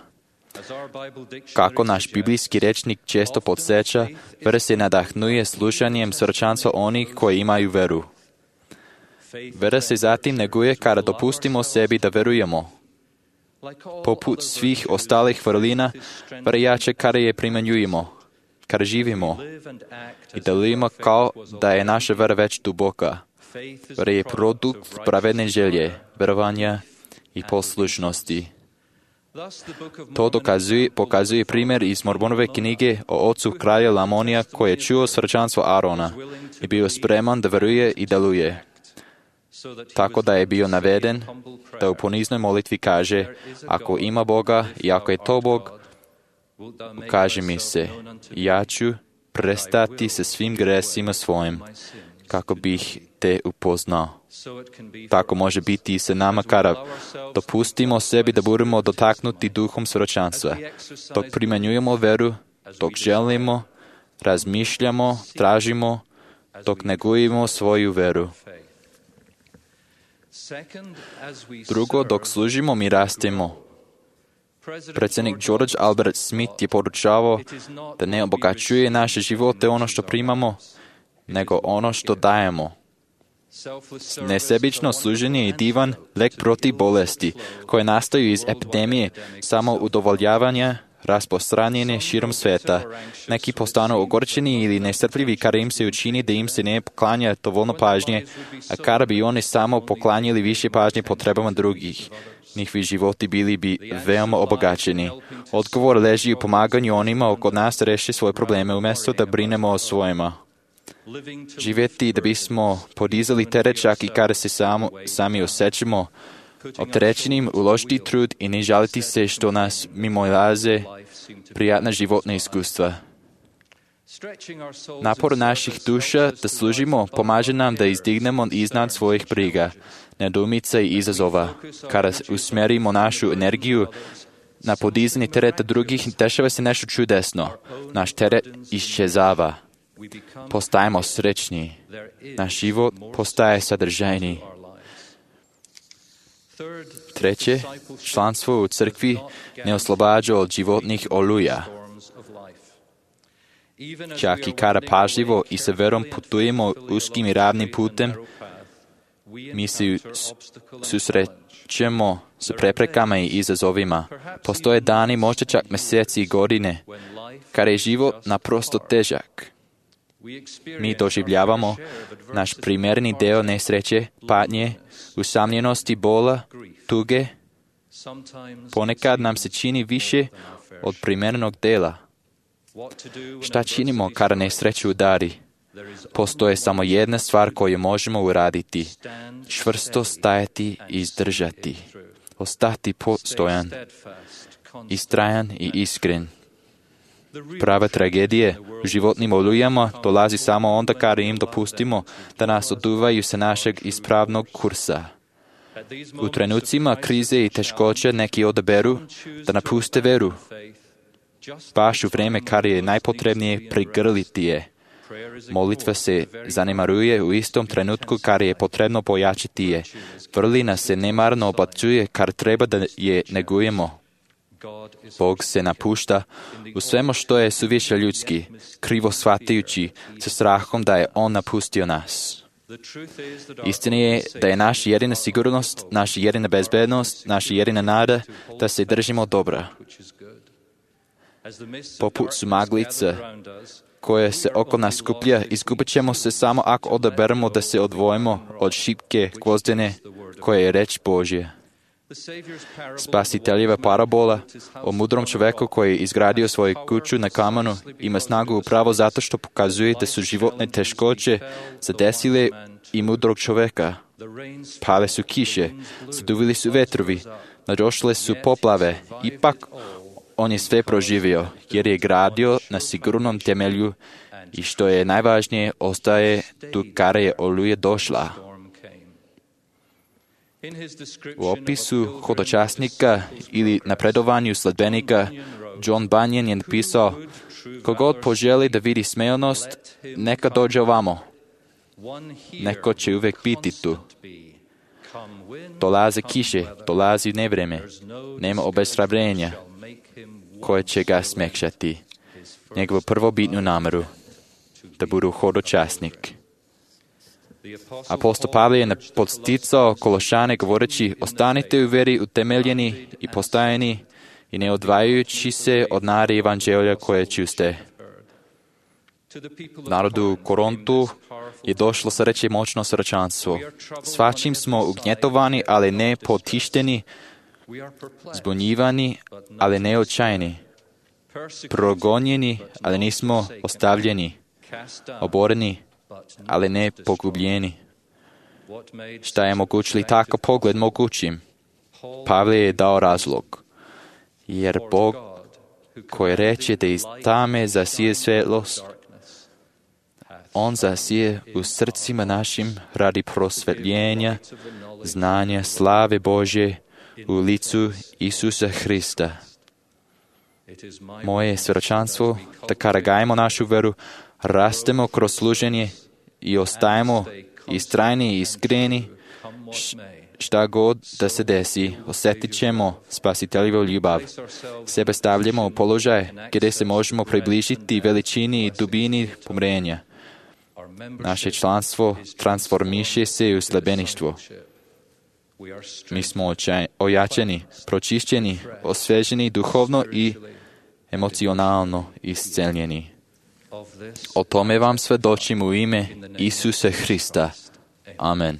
Kako naš biblijski rečnik često podsjeća, vera se nadahnuje slušanjem srčanstva onih koji imaju veru. Vera se zatim neguje kada dopustimo sebi da verujemo. Poput svih ostalih vrlina, vera jače kada je primjenjujemo, kada živimo i delujemo kao da je naša vera već duboka. Vera je produkt pravedne želje, verovanja i poslušnosti. To dokazuje, pokazuje primjer iz Mormonove knjige o ocu kralja Lamonija koji je čuo srčanstvo Arona i bio spreman da veruje i deluje. Tako da je bio naveden da u poniznoj molitvi kaže: ako ima Boga i ako je to Bog, ukaži mi se, ja ću prestati sa svim gresima svojim, kako bih te upoznao. Tako može biti i sa nama kada dopustimo sebi da budemo dotaknuti duhom svjedočanstva. Dok primjenjujemo veru, dok želimo, razmišljamo, tražimo, dok negujemo svoju veru. Drugo, dok služimo, mi rastemo. Predsjednik George Albert Smith je poručavao da ne obogaćuje naše živote ono što primamo, nego ono što dajemo. Nesebično služenje je divan lek protiv bolesti, koje nastaju iz epidemije samo udovoljavanja rasprostranjene širom sveta. Neki postanu ogorčeni ili nestrpljivi kada im se učini da im se ne poklanja dovoljno pažnje, a kada bi oni samo poklanjali više pažnje potrebama drugih. Njihovi životi bili bi veoma obogaćeni. Odgovor leži u pomaganju onima oko nas da reši svoje probleme umjesto da brinemo o svojima. Živjeti da bismo podizali teret čak i kada se samo, sami osjećamo opterećenim, uložiti trud i ne žaliti se što nas mimoilaze prijatna životna iskustva. Napor naših duša da služimo pomaže nam da izdignemo iznad svojih briga, nedoumica i izazova. Kada usmjerimo našu energiju na podizanje tereta drugih, dešava se nešto čudesno. Naš teret iščezava. Postajemo srećni. Naš život postaje sadržajni. Treće, članstvo u crkvi ne oslobađa od životnih oluja. Čak i kada pažljivo i sa verom putujemo uskim i ravnim putem, mi se susrećemo s preprekama i izazovima. Postoje dani, možda čak mjeseci i godine, kada je život naprosto težak. Mi doživljavamo naš primjerni deo nesreće, patnje, usamljenosti, bola, tuge. Ponekad nam se čini više od primjernog dela. Šta činimo kada nesreću udari? Postoje samo jedna stvar koju možemo uraditi. Čvrsto stajati i izdržati. Ostati postojan, istrajan i iskren. Prava tragedije u životnim olujama dolazi samo onda kada im dopustimo da nas oduvaju sa našeg ispravnog kursa. U trenucima krize i teškoće neki odaberu da napuste veru. Baš u vrijeme kada je najpotrebnije prigrliti je. Molitva se zanemaruje u istom trenutku kada je potrebno pojačiti je. Vrlina se nemarno obacuje kada treba da je negujemo. Bog se napušta u svemu što je suviše ljudski, krivo shvatajući sa strahom da je On napustio nas. Istina je da je naša jedina sigurnost, naša jedina bezbednost, naša jedina nada da se držimo dobra. Poput su maglica koja se oko nas skuplja, izgubit ćemo se samo ako odaberemo da se odvojimo od šipke gvozdene koja je reč Božja. Spasiteljeva parabola o mudrom čoveku koji je izgradio svoju kuću na kamenu ima snagu upravo zato što pokazuje da su životne teškoće zadesile i mudrog čoveka. Pale su kiše, zaduvili su vetrovi, nadošle su poplave, ipak on je sve proživio jer je gradio na sigurnom temelju i što je najvažnije ostaje tu kada je oluja došla. U opisu hodočasnika ili napredovanju sledbenika John Bunyan je napisao: kogod poželi da vidi smejonost, neka dođe ovamo. Neko će uvijek biti tu. Dolaze kiše, dolazi nevreme, nema obeshrabrenja koje će ga smekšati. Njegovu prvobitnu nameru da budu hodočasnik. Apostol Pavle je podsticao Kološane govoreći: ostanite u veri utemeljeni i postajeni i ne odvajajući se od nade evanđelja koje čuste. Narodu u Korintu je došlo sreće moćno srčanstvo. Svačim smo ugnjetovani, ali ne potišteni, zbunjivani, ali ne očajni, progonjeni, ali nismo ostavljeni, oboreni, ali ne pogubljeni. Šta je mogućili tako pogled mogućim? Pavle je dao razlog. Jer Bog koji reče da iz tame zasije svjetlost, On zasije u srcima našim radi prosvetljenja, znanja, slave Božje u licu Isusa Hrista. Moje svjedočanstvo da kada gajimo našu veru, rastemo kroz služenje i ostajemo istrajni i iskreni, šta god da se desi, osjetit ćemo spasiteljevu ljubav. Sebe stavljamo u položaj gdje se možemo približiti veličini i dubini pomrenja. Naše članstvo transformiše se u sledbeništvo. Mi smo ojačeni, pročišćeni, osveženi duhovno i emocionalno isceljeni. O tome vam svedočim u ime Isusa Hrista. Amen.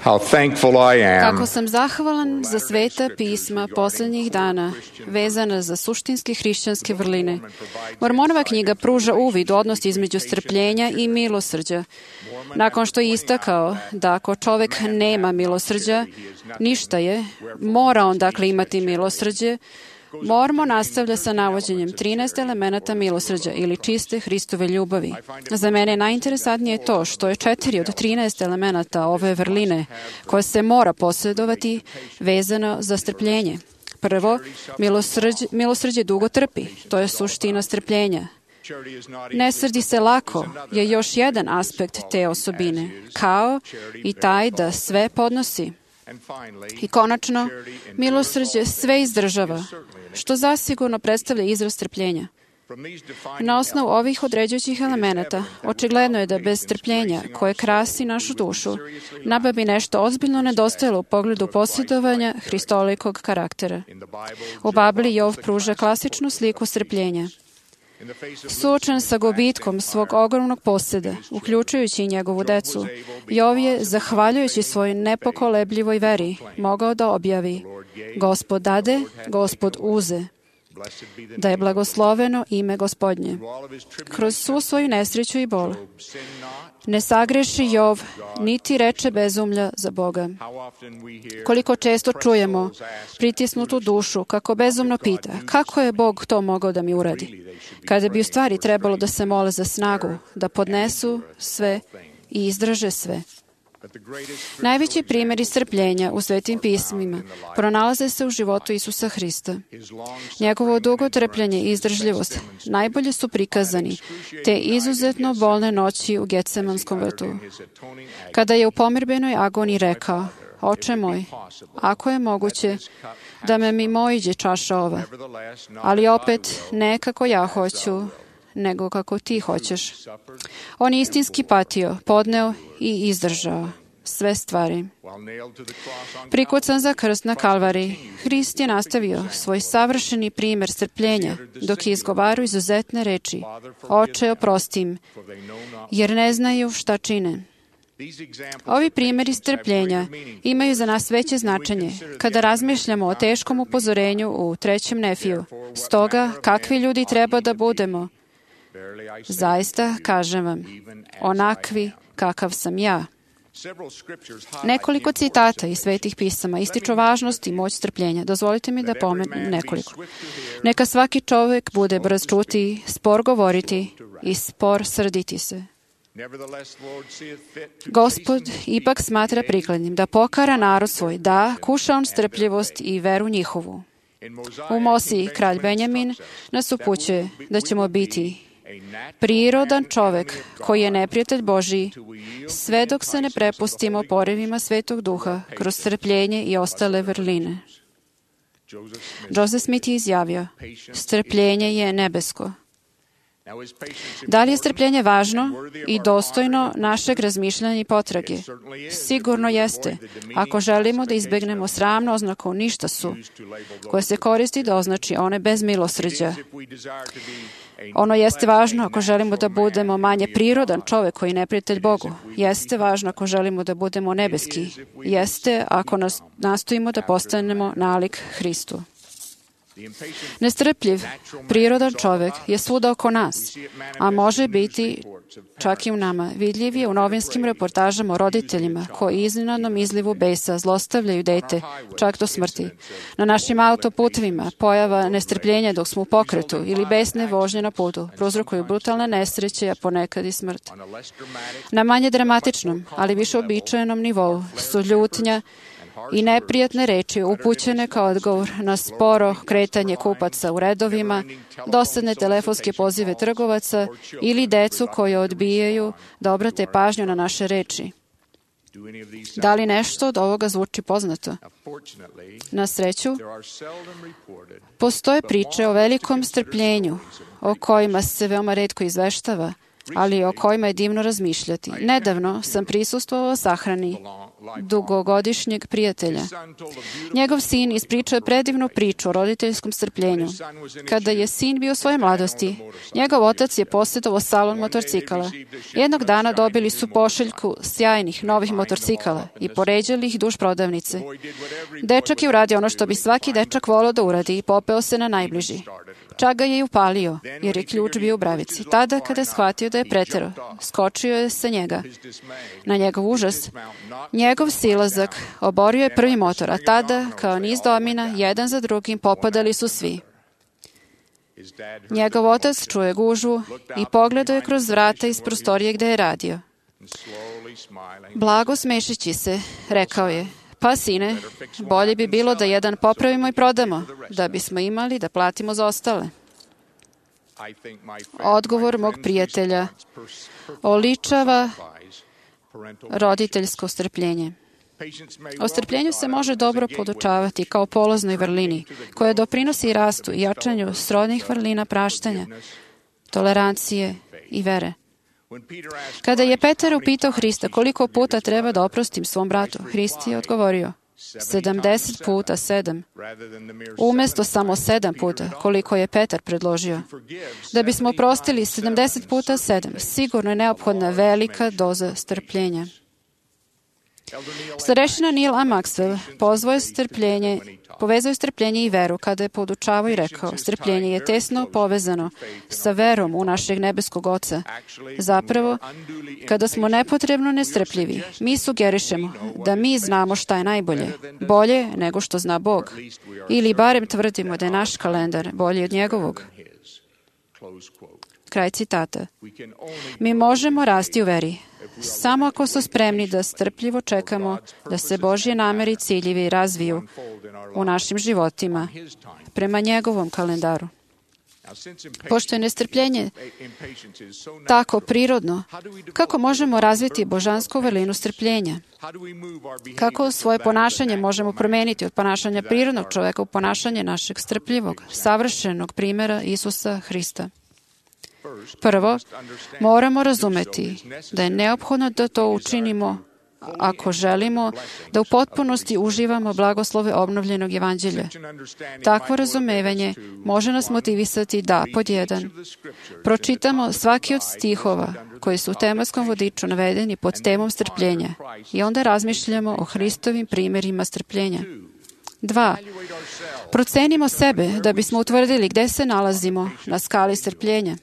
How thankful I am. Kako sam zahvalan za sveta pisma posljednjih dana, vezana za suštinske hrišćanske vrline. Mormonova knjiga pruža uvid u odnos između strpljenja i milosrđa. Nakon što je istakao da ako čovek nema milosrđa, ništa je, mora on dakle imati milosrđe, Mormon nastavlja sa navođenjem trinaest elemenata milosrđa ili čiste Hristove ljubavi. Za mene najinteresantnije to što je četiri od trinaest elemenata ove vrline koje se mora posjedovati vezano za strpljenje. Prvo, milosrđe, milosrđe dugo trpi. To je suština strpljenja. Ne srdi se lako je još jedan aspekt te osobine, kao i taj da sve podnosi. I konačno, milosrđe sve izdržava, što zasigurno predstavlja izraz strpljenja. Na osnovu ovih određujućih elemenata, očigledno je da bez strpljenja koje krasi našu dušu, nama bi nešto ozbiljno nedostajalo u pogledu posjedovanja hristolikog karaktera. U Bibliji Jov pruža klasičnu sliku strpljenja. Suočen sa gubitkom svog ogromnog posjeda, uključujući i njegovu decu, Jov je, zahvaljujući svojoj nepokolebljivoj veri, mogao da objavi: Gospod dade, Gospod uze. Da je blagosloveno ime Gospodnje. Kroz svu svoju nesreću i bol ne sagreši Jov, niti reče bezumlja za Boga. Koliko često čujemo pritisnutu dušu kako bezumno pita: kako je Bog to mogao da mi uradi? Kada bi u stvari trebalo da se mole za snagu, da podnesu sve i izdrže sve. Najveći primjeri strpljenja u Svetim pismima pronalaze se u životu Isusa Hrista. Njegovo dugo trpljenje i izdržljivost najbolje su prikazani te izuzetno bolne noći u Getsemanskom vrtu, kada je u pomirbenoj agoniji rekao: Oče moj, ako je moguće da me mimo iđe čaša ova, ali opet ne kako ja hoću, nego kako ti hoćeš. On je istinski patio, podneo i izdržao sve stvari. Prikucan za krst na Kalvari, Hrist je nastavio svoj savršeni primjer strpljenja dok je izgovarao izuzetne reči: Oče, oprosti im, jer ne znaju šta čine. Ovi primjeri strpljenja imaju za nas veće značenje kada razmišljamo o teškom upozorenju u trećem Nefiju. Stoga, kakvi ljudi treba da budemo? Zaista, kažem vam, onakvi kakav sam ja. Nekoliko citata iz Svetih pisama ističu važnost i moć strpljenja. Dozvolite mi da pomenem nekoliko. Neka svaki čovjek bude brz čuti, spor govoriti i spor srditi se. Gospod ipak smatra prikladnim da pokara narod svoj, da kuša on strpljivost i veru njihovu. U Mosiji kralj Benjamin nas upućuje da ćemo biti prirodan čovek koji je neprijatelj Božiji, sve dok se ne prepustimo porivima Svetog Duha kroz strpljenje i ostale vrline. Joseph Smith je izjavio: strpljenje je nebesko. Da li je strpljenje važno i dostojno našeg razmišljanja i potrage? Sigurno jeste, ako želimo da izbegnemo sramnu oznaku ništa su, koja se koristi da označi one bez milosrđa. Ono jeste važno ako želimo da budemo manje prirodan čovek koji je neprijatelj Bogu. Jeste važno ako želimo da budemo nebeski. Jeste ako nas nastojimo da postanemo nalik Hristu. Nestrpljiv, prirodan čovek je svuda oko nas, a može biti čak i u nama. Vidljiv je u novinskim reportažama o roditeljima koji iznenadnom izlivu besa zlostavljaju dete čak do smrti. Na našim autoputovima pojava nestrpljenja dok smo u pokretu ili besne vožnje na putu prouzrokuju brutalne nesreće, a ponekad i smrt. Na manje dramatičnom, ali više običajenom nivou su ljutnja i neprijatne reči upućene kao odgovor na sporo kretanje kupaca u redovima, dosadne telefonske pozive trgovaca ili decu koje odbijaju da obrate pažnju na naše reči. Da li nešto od ovoga zvuči poznato? Na sreću, postoje priče o velikom strpljenju, o kojima se veoma retko izveštava, ali o kojima je divno razmišljati. Nedavno sam prisustvovao sahrani dugogodišnjeg prijatelja. Njegov sin ispričao je predivnu priču o roditeljskom strpljenju. Kada je sin bio u svojoj mladosti, njegov otac je posjedovao salon motorcikala. Jednog dana dobili su pošiljku sjajnih novih motorcikala i poređali ih duž prodavnice. Dečak je uradio ono što bi svaki dečak volao da uradi i popeo se na najbliži. Čak ga je i upalio, jer je ključ bio u bravici. Tada, kada je shvatio da je preterao, skočio je sa njega. Na njegov užas, njegov silazak oborio je prvi motor, a tada, kao niz domina, jedan za drugim popadali su svi. Njegov otac čuje gužvu i pogledao je kroz vrata iz prostorije gde je radio. Blago smešeći se, rekao je: pa sine, bolje bi bilo da jedan popravimo i prodamo, da bismo imali da platimo za ostale. Odgovor mog prijatelja oličava roditeljsko strpljenje. O strpljenju se može dobro podučavati kao poloznoj vrlini, koja doprinosi rastu i jačanju srodnih vrlina praštanja, tolerancije i vere. Kada je Petar upitao Hrista koliko puta treba da oprostim svom bratu, Hrist je odgovorio sedamdeset puta sedam, umjesto samo sedam puta, koliko je Petar predložio. Da bismo oprostili sedamdeset puta sedam, sigurno je neophodna velika doza strpljenja. Starešina Neil A. Maxwell pozvao je strpljenje, povezao je strpljenje i veru kada je podučavao i rekao, strpljenje je tesno povezano sa verom u našeg nebeskog Oca. Zapravo, kada smo nepotrebno nestrpljivi, mi sugerišemo da mi znamo šta je najbolje, bolje nego što zna Bog, ili barem tvrdimo da je naš kalendar bolji od njegovog. Kraj citata. Mi možemo rasti u veri samo ako smo spremni da strpljivo čekamo da se Božje namere i ciljevi razviju u našim životima prema njegovom kalendaru. Pošto je nestrpljenje tako prirodno, kako možemo razviti božansku vrlinu strpljenja? Kako svoje ponašanje možemo promeniti od ponašanja prirodnog čoveka u ponašanje našeg strpljivog, savršenog primjera Isusa Hrista? Prvo, moramo razumeti da je neophodno da to učinimo ako želimo da u potpunosti uživamo blagoslove obnovljenog evanđelja. Takvo razumevanje može nas motivisati da, pod jedan, pročitamo svaki od stihova koji su u tematskom vodiču navedeni pod temom strpljenja i onda razmišljamo o Hristovim primjerima strpljenja. Dva, procenimo sebe da bismo utvrdili gde se nalazimo na skali strpljenja.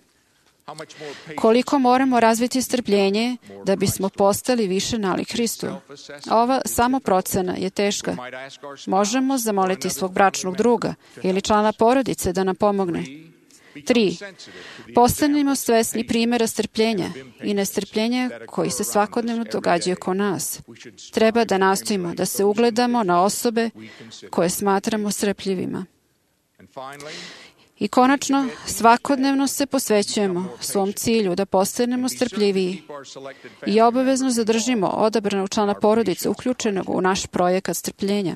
Koliko moramo razviti strpljenje da bismo postali više nalik Hristu. Ova samoprocena je teška. Možemo zamoliti svog bračnog druga ili člana porodice da nam pomogne. Tri. Postanimo svesni primjera strpljenja i nestrpljenja koji se svakodnevno događaju oko nas. Treba da nastojimo da se ugledamo na osobe koje smatramo strpljivima. I konačno, svakodnevno se posvećujemo svom cilju da postanemo strpljiviji i obavezno zadržimo odabranog člana porodice uključenog u naš projekat strpljenja.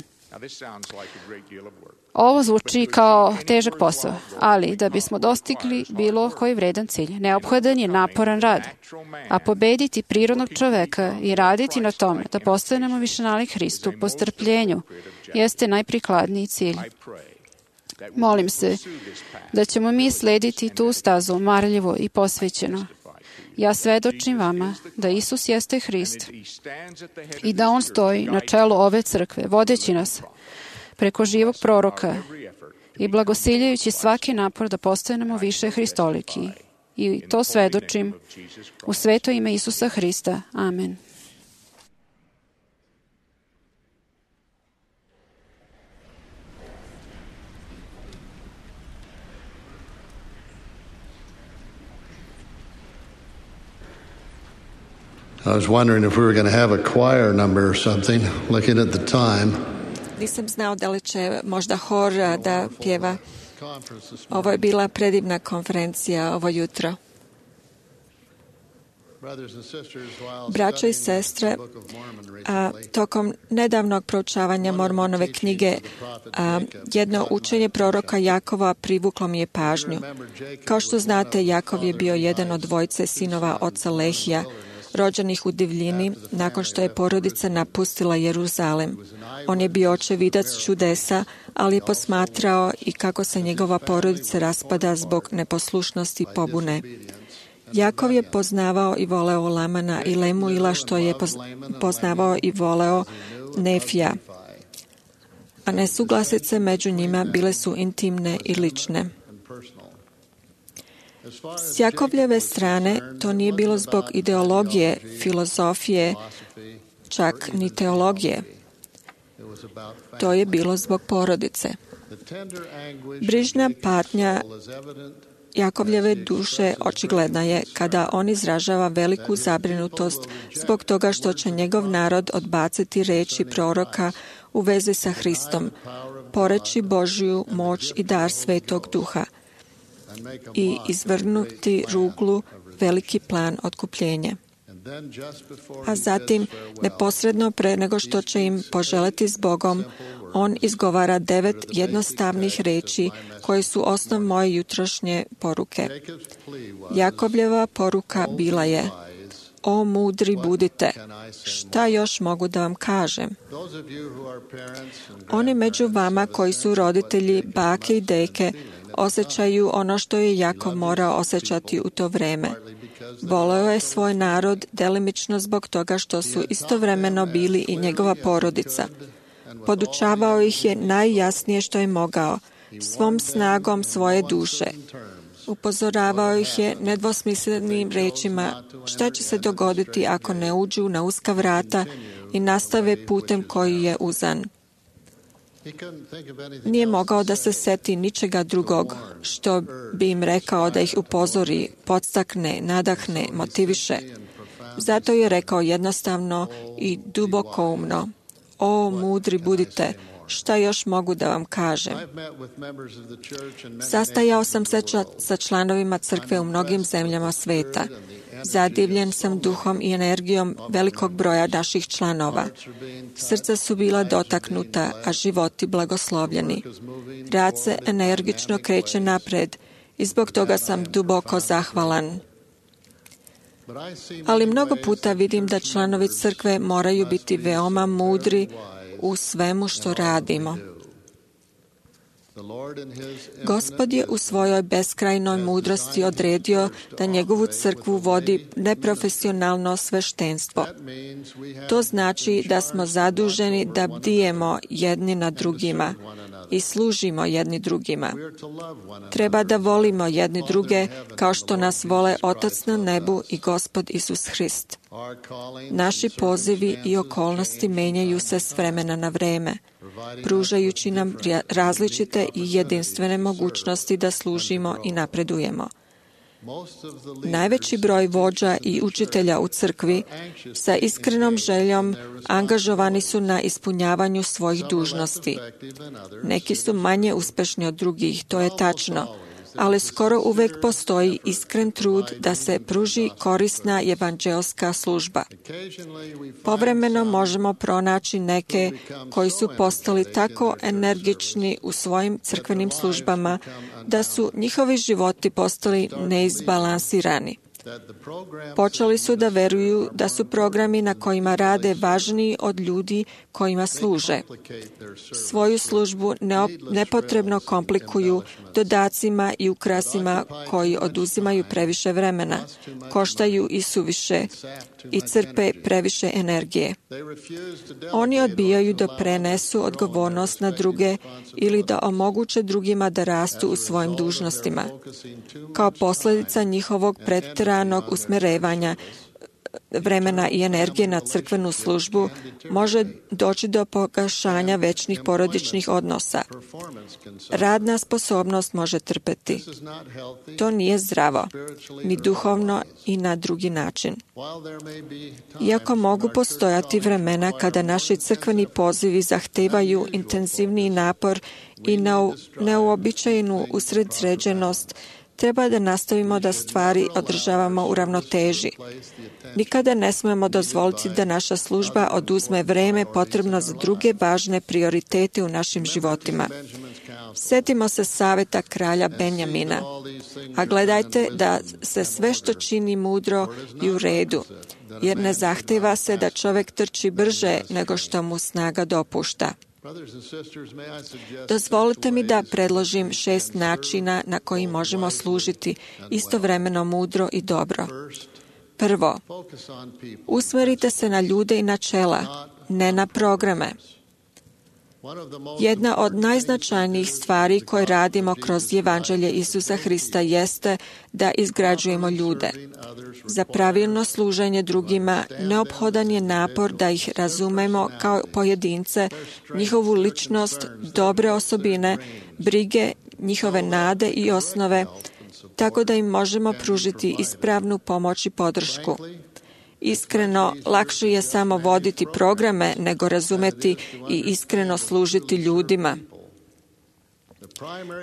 Ovo zvuči kao težak posao, ali da bismo dostigli bilo koji vredan cilj, neophodan je naporan rad, a pobediti prirodnog čoveka i raditi na tome da postanemo više nalik Hristu po strpljenju jeste najprikladniji cilj. Molim se da ćemo mi slediti tu stazu marljivo i posvećeno. Ja svedočim vama da Isus jeste Hrist i da On stoji na čelu ove crkve, vodeći nas preko živog proroka i blagosiljajući svaki napor da postanemo više hristoliki. I to svedočim u sveto ime Isusa Hrista. Amen. I was wondering if we were going to have a choir number or something, looking at the time. Nisam znao da li će možda hor da pjeva. Ovo je bila predivna konferencija ovo jutro. Braćo i sestre, a, tokom nedavnog proučavanja Mormonove knjige, a, jedno učenje proroka Jakova privuklo mi je pažnju. Kao što znate, Jakov je bio jedan od dvojice sinova oca Lehija, rođenih u divljini nakon što je porodica napustila Jeruzalem. On je bio očevidac čudesa, ali je posmatrao i kako se njegova porodica raspada zbog neposlušnosti i pobune. Jakov je poznavao i voleo Lamana i Lemuila, što je poznavao i voleo Nefija, a nesuglasice među njima bile su intimne i lične. S Jakovljeve strane to nije bilo zbog ideologije, filozofije, čak ni teologije. To je bilo zbog porodice. Brižna patnja Jakovljeve duše očigledna je kada on izražava veliku zabrinutost zbog toga što će njegov narod odbaciti reči proroka u vezi sa Hristom, poreći Božju moć i dar Svetog Duha i izvrgnuti ruglu veliki plan otkupljenja. A zatim, neposredno pre nego što će im poželeti s Bogom, On izgovara devet jednostavnih reči koje su osnov moje jutrošnje poruke. Jakobljeva poruka bila je: O mudri budite, šta još mogu da vam kažem? Oni među vama koji su roditelji, bake i deke, osjećaju ono što je Jakov morao osjećati u to vreme. Voleo je svoj narod delimično zbog toga što su istovremeno bili i njegova porodica. Podučavao ih je najjasnije što je mogao, svom snagom svoje duše. Upozoravao ih je nedvosmislenim rečima šta će se dogoditi ako ne uđu na uska vrata i nastave putem koji je uzan. Nije mogao da se seti ničega drugog što bi im rekao da ih upozori, podstakne, nadahne, motiviše. Zato je rekao jednostavno i dubokoumno: O mudri budite, šta još mogu da vam kažem? Sastajao sam se sa članovima crkve u mnogim zemljama sveta. Zadivljen sam duhom i energijom velikog broja naših članova. Srca su bila dotaknuta, a životi blagoslovljeni. Rad se energično kreće napred i zbog toga sam duboko zahvalan. Ali mnogo puta vidim da članovi crkve moraju biti veoma mudri u svemu što radimo. Gospod je u svojoj beskrajnoj mudrosti odredio da njegovu crkvu vodi neprofesionalno sveštenstvo. To znači da smo zaduženi da bdijemo jedni na drugima i služimo jedni drugima. Treba da volimo jedni druge kao što nas vole Otac na nebu i Gospod Isus Hrist. Naši pozivi i okolnosti menjaju se s vremena na vreme, pružajući nam različite i jedinstvene mogućnosti da služimo i napredujemo. Najveći broj vođa i učitelja u crkvi sa iskrenom željom angažovani su na ispunjavanju svojih dužnosti. Neki su manje uspešni od drugih, to je tačno, ali skoro uvek postoji iskren trud da se pruži korisna evanđeoska služba. Povremeno možemo pronaći neke koji su postali tako energični u svojim crkvenim službama da su njihovi životi postali neizbalansirani. Počeli su da veruju da su programi na kojima rade važniji od ljudi kojima služe. Svoju službu nepotrebno komplikuju dodacima i ukrasima koji oduzimaju previše vremena, koštaju i suviše i crpe previše energije. Oni odbijaju da prenesu odgovornost na druge ili da omoguće drugima da rastu u svojim dužnostima. Kao posljedica njihovog pretjeranog usmerevanja vremena i energije na crkvenu službu može doći do pogašanja večnih porodičnih odnosa. Radna sposobnost može trpeti. To nije zdravo, ni duhovno i na drugi način. Iako mogu postojati vremena kada naši crkveni pozivi zahtevaju intenzivniji napor i neuobičajenu usredsređenost, treba da nastavimo da stvari održavamo u ravnoteži. Nikada ne smemo dozvoliti da naša služba oduzme vreme potrebno za druge važne prioritete u našim životima. Sjetimo se saveta kralja Benjamina, a gledajte da se sve što čini mudro i u redu, jer ne zahteva se da čovjek trči brže nego što mu snaga dopušta. Dozvolite mi da predložim šest načina na koji možemo služiti istovremeno mudro i dobro. Prvo, usmerite se na ljude i načela, ne na programe. Jedna od najznačajnijih stvari koje radimo kroz Evanđelje Isusa Hrista jeste da izgrađujemo ljude. Za pravilno služenje drugima neophodan je napor da ih razumemo kao pojedince, njihovu ličnost, dobre osobine, brige, njihove nade i osnove, tako da im možemo pružiti ispravnu pomoć i podršku. Iskreno, lakše je samo voditi programe nego razumeti i iskreno služiti ljudima.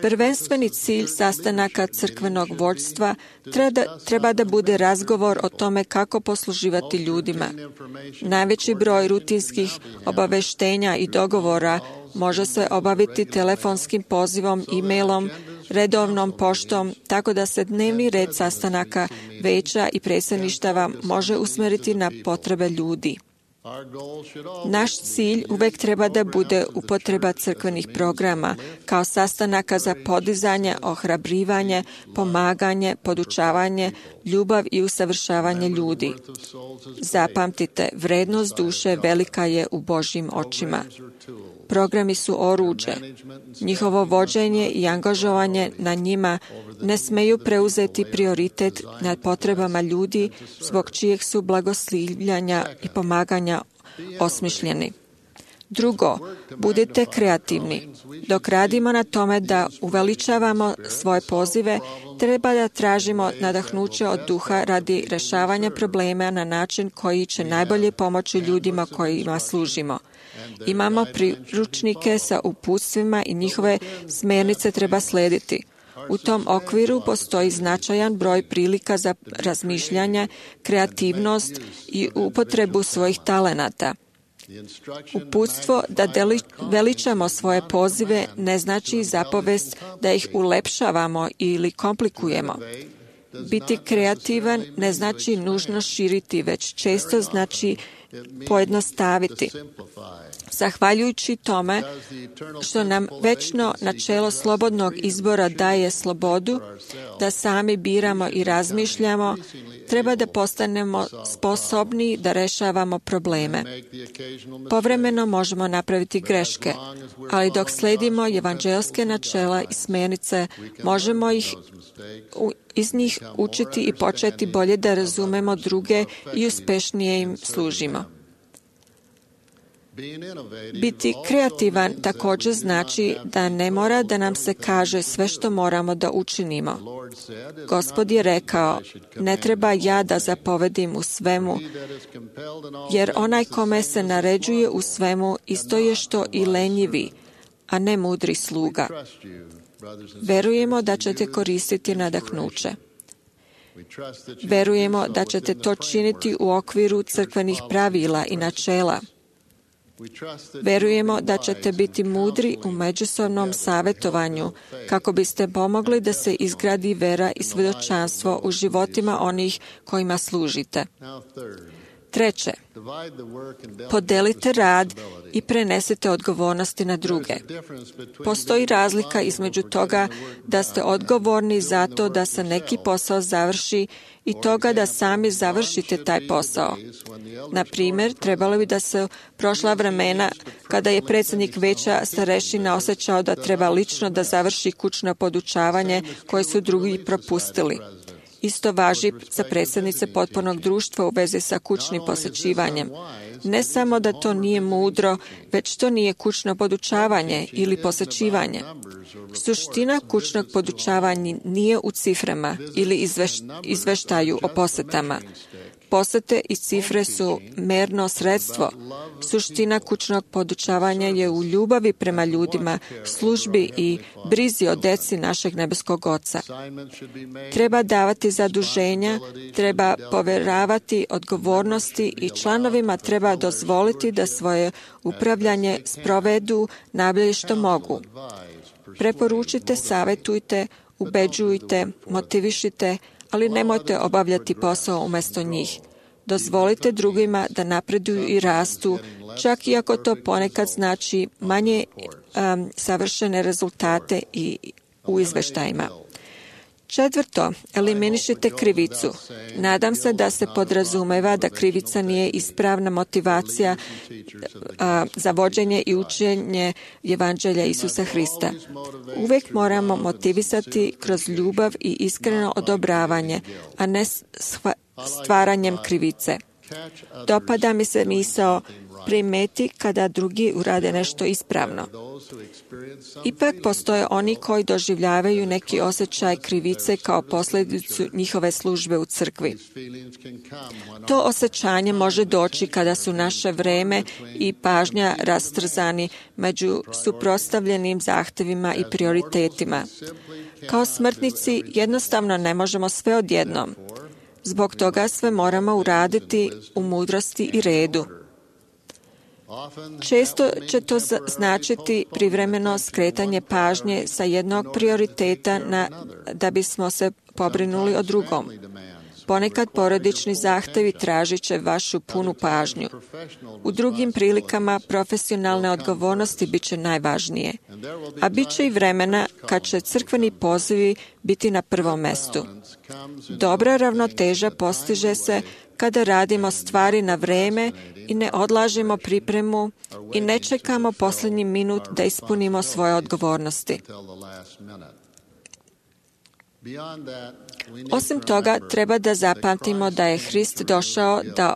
Prvenstveni cilj sastanaka crkvenog vođstva treba, treba da bude razgovor o tome kako posluživati ljudima. Najveći broj rutinskih obaveštenja i dogovora može se obaviti telefonskim pozivom, e-mailom, redovnom poštom, tako da se dnevni red sastanaka veća i predsjedništava može usmeriti na potrebe ljudi. Naš cilj uvek treba da bude upotreba crkvenih programa kao sastanaka za podizanje, ohrabrivanje, pomaganje, podučavanje, ljubav i usavršavanje ljudi. Zapamtite, vrednost duše velika je u Božjim očima. Programi su oruđe. Njihovo vođenje i angažovanje na njima ne smeju preuzeti prioritet nad potrebama ljudi zbog čijeg su blagoslivljanja i pomaganja osmišljeni. Drugo, budite kreativni. Dok radimo na tome da uveličavamo svoje pozive, treba da tražimo nadahnuće od duha radi rešavanja problema na način koji će najbolje pomoći ljudima kojima služimo. Imamo priručnike sa uputstvima i njihove smernice treba slediti. U tom okviru postoji značajan broj prilika za razmišljanje, kreativnost i upotrebu svojih talenata. Uputstvo da deli, veličamo svoje pozive ne znači zapovest da ih ulepšavamo ili komplikujemo. Biti kreativan ne znači nužno širiti, već često znači pojednostaviti. Zahvaljujući tome što nam večno načelo slobodnog izbora daje slobodu da sami biramo i razmišljamo, treba da postanemo sposobni da rešavamo probleme. Povremeno možemo napraviti greške, ali dok sledimo evanđelske načela i smjernice, možemo ih iz njih učiti i početi bolje da razumemo druge i uspešnije im služimo. Biti kreativan također znači da ne mora da nam se kaže sve što moramo da učinimo. Gospod je rekao, ne treba ja da zapovedim u svemu, jer onaj kome se naređuje u svemu isto je što i lenjivi, a ne mudri sluga. Verujemo da ćete koristiti nadahnuće. Verujemo da ćete to činiti u okviru crkvenih pravila i načela. Verujemo da ćete biti mudri u međusobnom savjetovanju kako biste pomogli da se izgradi vera i svjedočanstvo u životima onih kojima služite. Treće, podelite rad i prenesite odgovornosti na druge. Postoji razlika između toga da ste odgovorni za to da se neki posao završi i toga da sami završite taj posao. Na primjer, trebalo bi da se prošla vremena kada je predsjednik veća starešina osjećao da treba lično da završi kućno podučavanje koje su drugi propustili. Isto važi za predsjednice potpornog društva u vezi sa kućnim posjećivanjem. Ne samo da to nije mudro, već to nije kućno podučavanje ili posjećivanje. Suština kućnog podučavanja nije u ciframa ili izveš, izveštaju o posjetama. Posjete i cifre su merno sredstvo. Suština kućnog podučavanja je u ljubavi prema ljudima, službi i brizi o deci našeg nebeskog Oca. Treba davati zaduženja, treba poveravati odgovornosti i članovima treba dozvoliti da svoje upravljanje sprovedu najbolje što mogu. Preporučite, savjetujte, ubeđujte, motivišite, ali nemojte obavljati posao umjesto njih. Dozvolite drugima da napreduju i rastu, čak i ako to ponekad znači manje um, savršene rezultate i u izveštajima. Četvrto, eliminišite krivicu. Nadam se da se podrazumeva da krivica nije ispravna motivacija a, za vođenje i učenje evanđelja Isusa Hrista. Uvijek moramo motivisati kroz ljubav i iskreno odobravanje, a ne stvaranjem krivice. Dopada mi se misao primeti kada drugi urade nešto ispravno. Ipak postoje oni koji doživljavaju neki osjećaj krivice kao posljedicu njihove službe u crkvi. To osjećanje može doći kada su naše vreme i pažnja rastrzani među suprotstavljenim zahtjevima i prioritetima. Kao smrtnici jednostavno ne možemo sve odjednom. Zbog toga sve moramo uraditi u mudrosti i redu. Često će to značiti privremeno skretanje pažnje sa jednog prioriteta na, da bismo se pobrinuli o drugom. Ponekad porodični zahtjevi tražit će vašu punu pažnju. U drugim prilikama profesionalne odgovornosti bit će najvažnije, a bit će i vremena kad će crkveni pozivi biti na prvom mestu. Dobra ravnoteža postiže se kada radimo stvari na vreme i ne odlažemo pripremu i ne čekamo posljednji minut da ispunimo svoje odgovornosti. Osim toga, treba da zapamtimo da je Hrist došao da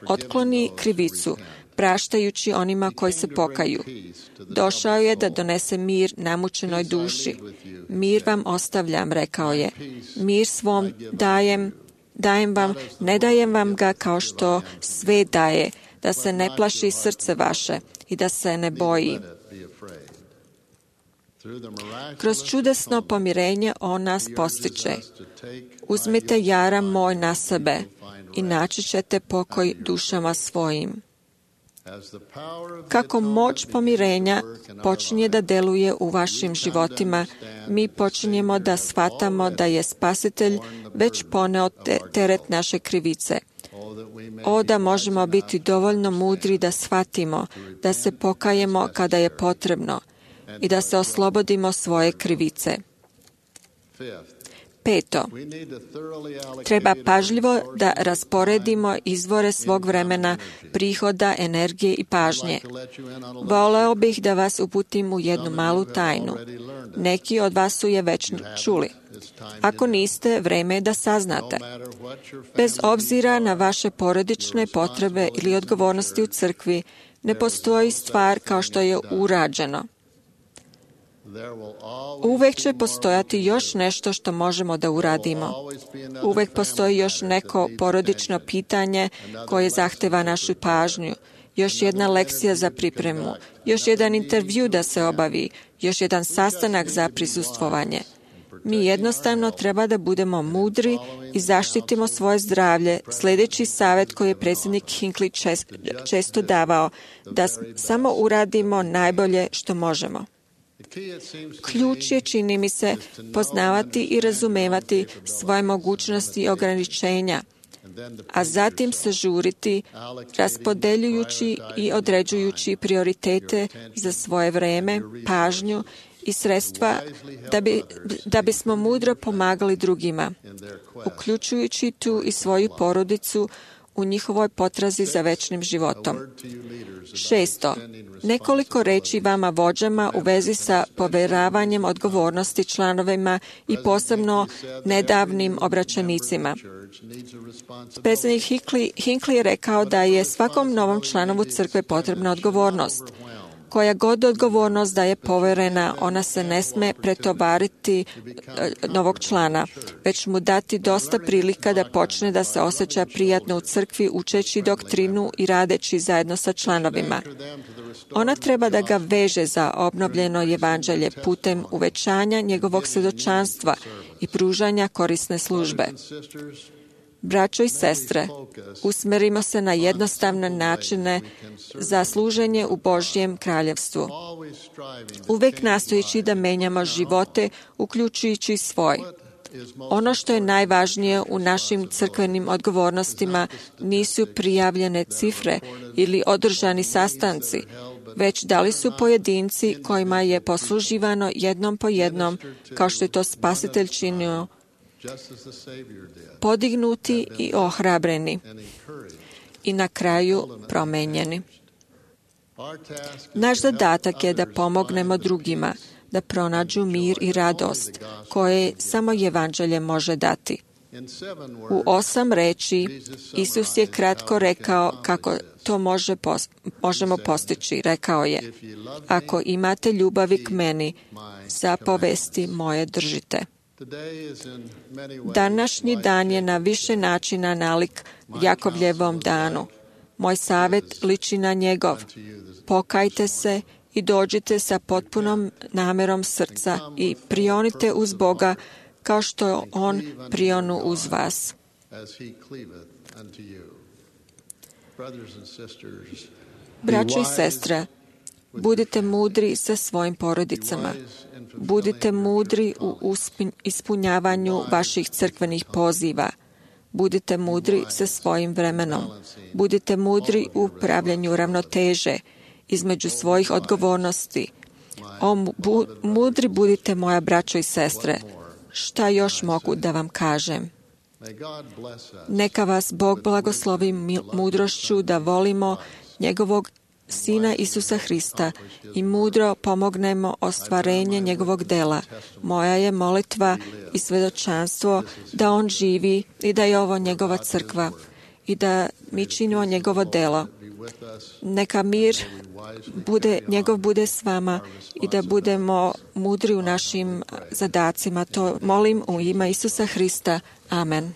otkloni krivicu, praštajući onima koji se pokaju. Došao je da donese mir namučenoj duši. Mir vam ostavljam, rekao je. Mir svom dajem, dajem vam, ne dajem vam ga kao što sve daje, da se ne plaši srce vaše i da se ne boji. Kroz čudesno pomirenje on nas postiče. Uzmite jaram moj na sebe i naći ćete pokoj dušama svojim. Kako moć pomirenja počinje da deluje u vašim životima, mi počinjemo da shvatamo da je Spasitelj već poneo teret naše krivice. O, da možemo biti dovoljno mudri da shvatimo, da se pokajemo kada je potrebno i da se oslobodimo svoje krivice. Peto, treba pažljivo da rasporedimo izvore svog vremena, prihoda, energije i pažnje. Voleo bih da vas uputim u jednu malu tajnu. Neki od vas su je već čuli. Ako niste, vreme je da saznate. Bez obzira na vaše porodične potrebe ili odgovornosti u crkvi, ne postoji stvar kao što je urađeno. Uvek će postojati još nešto što možemo da uradimo. Uvek postoji još neko porodično pitanje koje zahteva našu pažnju, još jedna lekcija za pripremu, još jedan intervju da se obavi, još jedan sastanak za prisustvovanje. Mi jednostavno treba da budemo mudri i zaštitimo svoje zdravlje, sljedeći savjet koji je predsjednik Hinckley često davao, da samo uradimo najbolje što možemo. Ključ je, čini mi se, poznavati i razumevati svoje mogućnosti i ograničenja, a zatim se žuriti, raspodeljujući i određujući prioritete za svoje vreme, pažnju i sredstva da, bi, da bismo mudro pomagali drugima, uključujući tu i svoju porodicu u njihovoj potrazi za večnim životom. Šesto, nekoliko reći vama vođama u vezi sa povjeravanjem odgovornosti članovima i posebno nedavnim obraćenicima. Predsjednik Hinckley, Hinckley je rekao da je svakom novom članovu crkve potrebna odgovornost. Koja god odgovornost da je povjerena, ona se ne sme pretovariti novog člana, već mu dati dosta prilika da počne da se osjeća prijatno u crkvi, učeći doktrinu i radeći zajedno sa članovima. Ona treba da ga veže za obnovljeno evanđelje putem uvećanja njegovog svjedočanstva i pružanja korisne službe. Braćo i sestre, usmerimo se na jednostavne načine za služenje u Božjem kraljevstvu. Uvek nastojeći da menjamo živote, uključujući svoj. Ono što je najvažnije u našim crkvenim odgovornostima nisu prijavljene cifre ili održani sastanci, već da li su pojedinci kojima je posluživano jednom po jednom, kao što je to Spasitelj činio, podignuti i ohrabreni i na kraju promenjeni. Naš zadatak je da pomognemo drugima da pronađu mir i radost koje samo evanđelje može dati. U osam reči Isus je kratko rekao kako to može pos- možemo postići. Rekao je, ako imate ljubavi k meni, zapovesti moje držite. Današnji dan je na više načina nalik Jakovljevom danu. Moj savjet liči na njegov. Pokajte se i dođite sa potpunom namerom srca i prionite uz Boga kao što On prionu uz vas. Braćo i sestre, budite mudri sa svojim porodicama. Budite mudri u ispunjavanju vaših crkvenih poziva. Budite mudri sa svojim vremenom. Budite mudri u pravljanju ravnoteže između svojih odgovornosti. O, bu, mudri budite, moja braćo i sestre. Šta još mogu da vam kažem? Neka vas Bog blagoslovi mudrošću da volimo njegovog Sina Isusa Hrista i mudro pomognemo ostvarenje njegovog dela. Moja je molitva i svedočanstvo da on živi i da je ovo njegova crkva i da mi činimo njegovo delo. Neka mir bude, njegov bude s vama i da budemo mudri u našim zadacima. To molim u ime Isusa Hrista. Amen.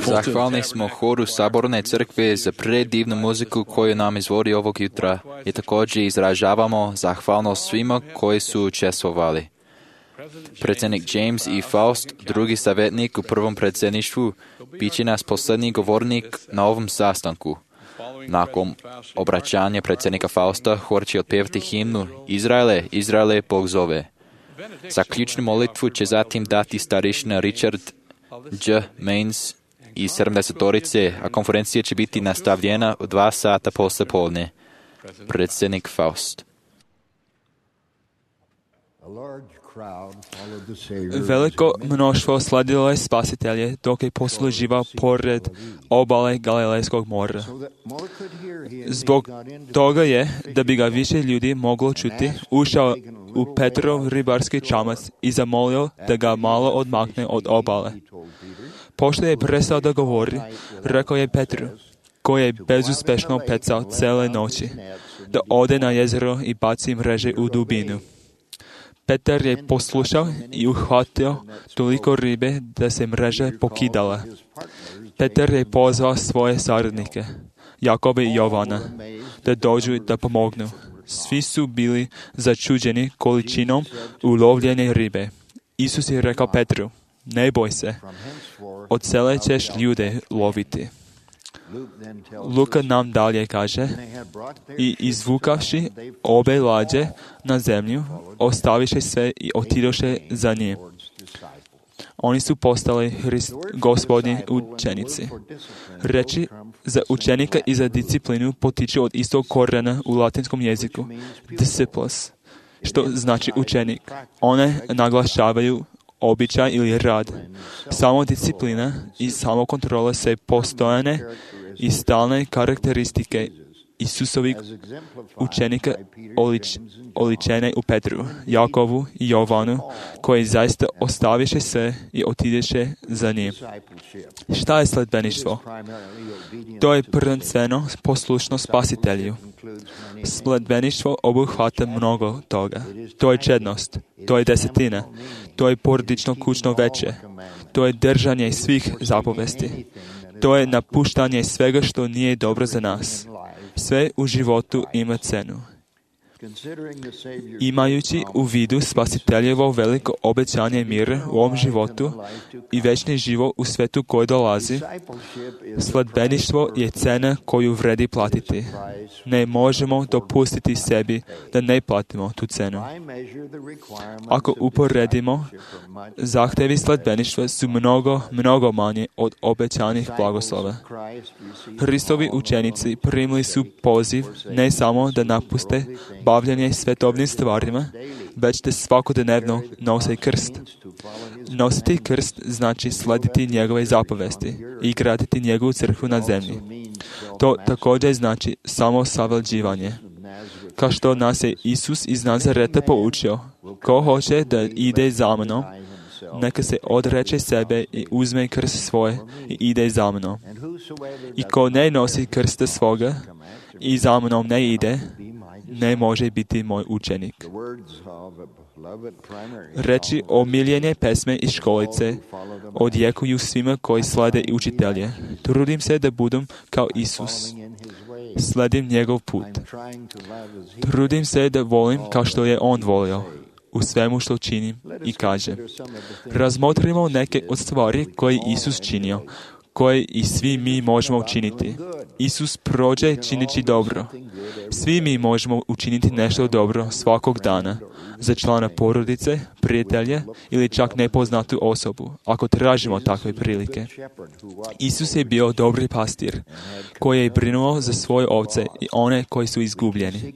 Zahvalni smo horu Saborne crkve za predivnu muziku koju nam izvodi ovog jutra i također izražavamo zahvalnost svima koji su učestvovali. Predsjednik James E. Faust, drugi savjetnik u prvom predsjedništvu, bit će nas posljednji govornik na ovom sastanku. Nakon obraćanja predsjednika Fausta, hor će otpjevati himnu Izraele, Izraele, Bog zove. Zaključnu molitvu će zatim dati starešina Richard J. Mains iz sedamdesetorice, a konferencija će biti nastavljena u dva sata posle podne. Predsjednik Faust. Veliko mnoštvo sledilo je spasitelje dok je posluživao pored obale Galilejskog mora. Zbog toga je, da bi ga više ljudi moglo čuti, ušao u Petrov ribarski čamac i zamolio da ga malo odmakne od obale. Pošto je prestao da govori, rekao je Petru, koji je bezuspešno pecao cele noći, da ode na jezero i baci mreže u dubinu. Petar je poslušao i uhvatio toliko ribe da se mreže pokidala. Petar je pozvao svoje saradnike, Jakoba i Jovana, da dođu da pomognu. Svi su bili začuđeni količinom ulovljene ribe. Isus je rekao Petru, ne boj se, od cele ćeš ljude loviti. Luka nam dalje kaže, i izvukavši obe lađe na zemlju, ostaviše sve i otidoše za njim. Oni su postali Hrist, Gospodnji učenici. Reči za učenika i za disciplinu potiču od istog korijena u latinskom jeziku, disciples, što znači učenik. One naglašavaju običaj ili rad. Samo disciplina i samo kontrola se postojane i stalne karakteristike Isusovih učenika olič, oličene u Petru, Jakovu i Jovanu, koji zaista ostaviše sve i otideše za njim. Šta je sledbeništvo? To je prvenstveno poslušno spasitelju. Sledbeništvo obuhvata mnogo toga. To je čednost, to je desetina, to je porodično kućno veće, to je držanje svih zapovesti, to je napuštanje svega što nije dobro za nas. Sve u životu ima cenu. Imajući u vidu spasiteljevo veliko obećanje mira u ovom životu i večni život u svetu koji dolazi, sledbeništvo je cena koju vredi platiti. Ne možemo dopustiti sebi da ne platimo tu cenu. Ako uporedimo, zahtevi sledbeništva su mnogo, mnogo manje od obećanih blagoslova. Hristovi učenici primili su poziv ne samo da napuste bavljanje svetovnim stvarima, već da svakodnevno nose krst. Nositi krst znači slediti njegove zapovesti i graditi njegovu crkvu na zemlji. To također znači samo savlađivanje. Kao što nas je Isus iz Nazareta poučio, ko hoće da ide za mnom, neka se odreče sebe i uzme krst svoje i ide za mnom. I ko ne nosi krsta svoga i za mnom ne ide, ne može biti moj učenik. Reči omiljene pesme iz školice odjekuju svima koji slede učitelje. Trudim se da budem kao Isus. Sledim njegov put. Trudim se da volim kao što je on volio u svemu što činim i kaže. Razmotrimo neke od stvari koje Isus činio, koje i svi mi možemo učiniti. Isus prođe čineći dobro. Svi mi možemo učiniti nešto dobro svakog dana za člana porodice, prijatelja ili čak nepoznatu osobu, ako tražimo takve prilike. Isus je bio dobri pastir, koji je brinuo za svoje ovce i one koji su izgubljeni.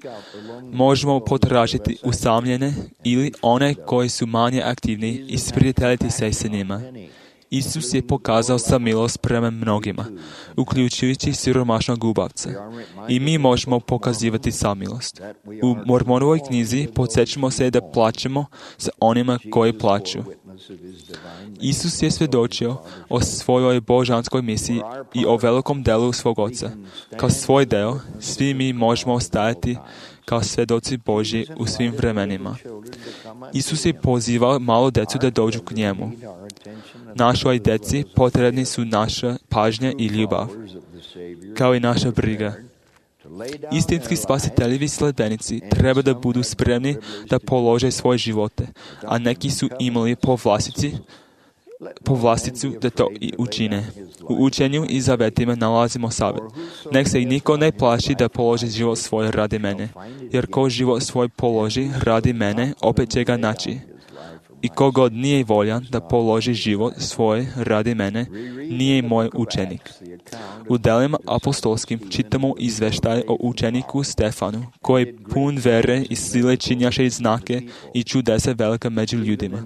Možemo potražiti usamljene ili one koji su manje aktivni i sprijateljiti se s njima. Isus je pokazao samilost prema mnogima, uključujući siromašnog gubavca. I mi možemo pokazivati samilost. U Mormonovoj knjizi podsjećamo se da plačemo sa onima koji plaču. Isus je svjedočio o svojoj božanskoj misiji i o velikom delu svog oca. Kao svoj deo, svi mi možemo stajati kao svedoci Božji u svim vremenima. Isus je pozivao malo djecu da dođu k njemu. Našoj djeci potrebni su naša pažnja i ljubav, kao i naša briga. Istinski spasiteljevi sledbenici treba da budu spremni da polože svoje živote, a neki su imali po vlastici po vlasticu da to i učine. U učenju i zavetima nalazimo savjet. Nek se i niko ne plaši da položi život svoj radi mene, jer ko život svoj položi radi mene, opet će ga naći. I kogod nije voljan da položi život svoj radi mene, nije moj učenik. U delima apostolskim čitamo izveštaj o učeniku Stefanu, koji pun vere i sile činjaše znake i čudesa velika među ljudima.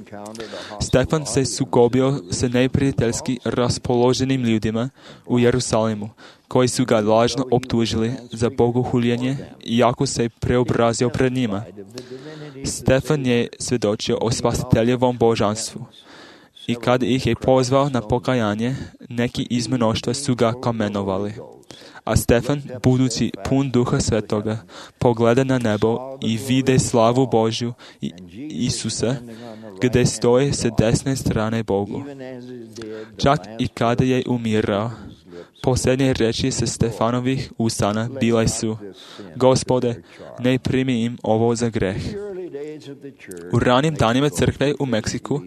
Stefan se sukobio sa neprijateljski raspoloženim ljudima u Jerusalimu, koji su ga lažno optužili za bogohuljenje, iako se preobrazio pred njima. Stefan je svjedočio o spasiteljevom božanstvu. I kada ih je pozvao na pokajanje, neki iz mnoštva su ga kamenovali. A Stefan, budući pun Duha Svetoga, pogleda na nebo i vide slavu Božju i Isusa, gdje stoji sa desne strane Bogu. Čak i kada je umirao, posljednje reči sa Stefanovih usana bile su: Gospode, ne primi im ovo za greh. U ranim danima crkve u Meksiku,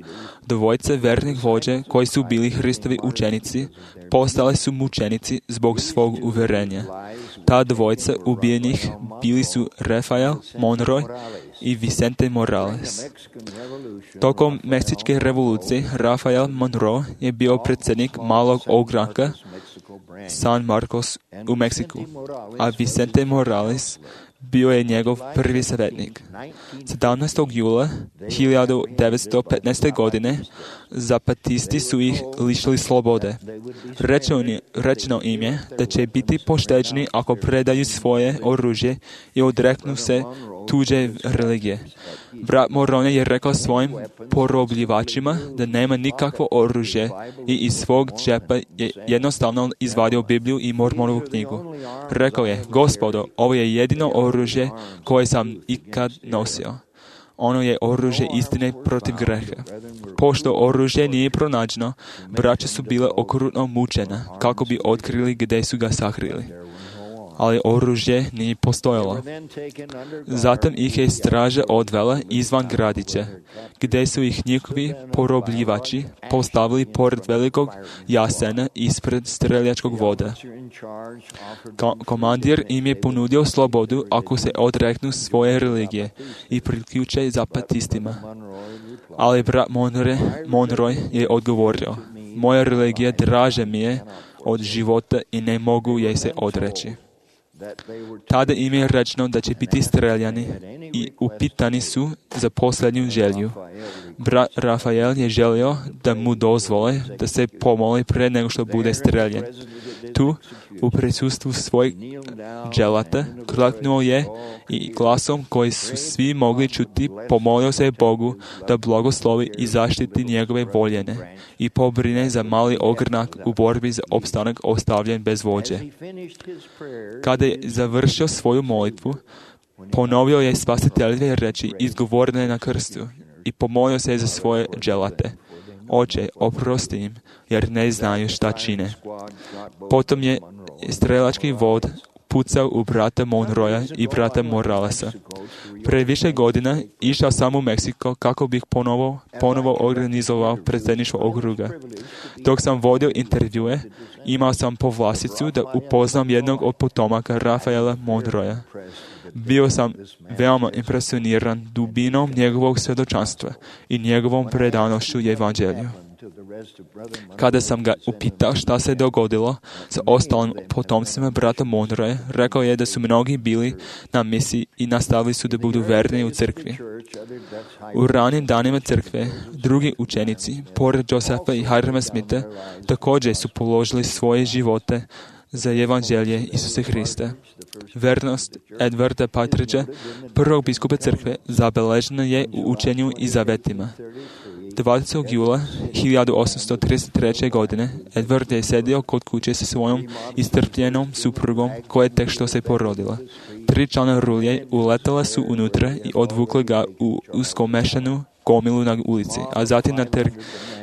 dvojice vernih vođe koji su bili Hristovi učenici, postali su mučenici zbog svog uverenja. Ta dvojica ubijenih bili su Rafael Monroy i Vicente Morales. Tokom Meksičke revolucije Rafael Monroe je bio predsjednik malog ogranka San Marcos u Meksiku, a Vicente Morales bio je njegov prvi savjetnik. sedamnaestog jula hiljadu devetsto petnaeste. godine zapatisti su ih lišili slobode. Rečeno, rečeno im je da će biti pošteđeni ako predaju svoje oružje i odreknu se tuđe religije. Brat Morone je rekao svojim porobljivačima da nema nikakvo oružje i iz svog džepa je jednostavno izvadio Bibliju i Mormonovu knjigu. Rekao je: Gospodo, ovo je jedino oružje koje sam ikad nosio. Ono je oružje istine protiv greha. Pošto oružje nije pronađeno, braća su bile okrutno mučena kako bi otkrili gdje su ga sakrili. Ali oružje nije postojalo. Zatim ih je straža odvela izvan gradića, gdje su ih njihovi porobljivači postavili pored velikog jasena ispred streljačkog voda. Ko- komandir im je ponudio slobodu ako se odreknu svoje religije i priključe zapatistima. Ali brat Monroe, Monroe je odgovorio: moja religija draže mi je od života i ne mogu je se odreći. Tada im je rečeno da će biti streljani i upitani su za posljednju želju. Brat Rafael je želio da mu dozvole da se pomoli pre nego što bude streljan. Tu, u prisustvu svojeg dželata, klaknuo je i glasom koji su svi mogli čuti pomolio se Bogu da blagoslovi i zaštiti njegove voljene i pobrine za mali ogranak u borbi za opstanak ostavljen bez vođe. Kada je završio svoju molitvu, ponovio je spasiteljeve reči izgovorene na krstu i pomolio se za svoje dželate: Oče, oprosti im, jer ne znaju šta čine. Potom je strelački vod pucao u brata Monroya i brata Moralesa. Pre više godina išao sam u Meksiko kako bih ponovo, ponovo organizovao predsjedništvo okruga. Dok sam vodio intervjue, imao sam povlasticu da upoznam jednog od potomaka Rafaela Monroya. Bio sam veoma impresioniran dubinom njegovog svjedočanstva i njegovom predanošću evanđelju. Kada sam ga upitao šta se dogodilo sa ostalim potomcima brata Monroe, rekao je da su mnogi bili na misiji i nastavili su da budu verni u crkvi. U ranim danima crkve, drugi učenici, pored Josefa i Hirama Smitha, također su položili svoje živote za evanđelje Isusa Hrista. Vernost Edwarda Partridgea, prvog biskupa crkve, zabeležena je u učenju i zavetima. dvadesetog jula hiljadu osamsto trideset treće. godine Edward je sedio kod kuće sa svojom istrpljenom suprugom koja je tek što se porodila. Три члана рулje uletela su unutra i odvukli ga u uskomešanu gomilu na ulici, a zatim na trg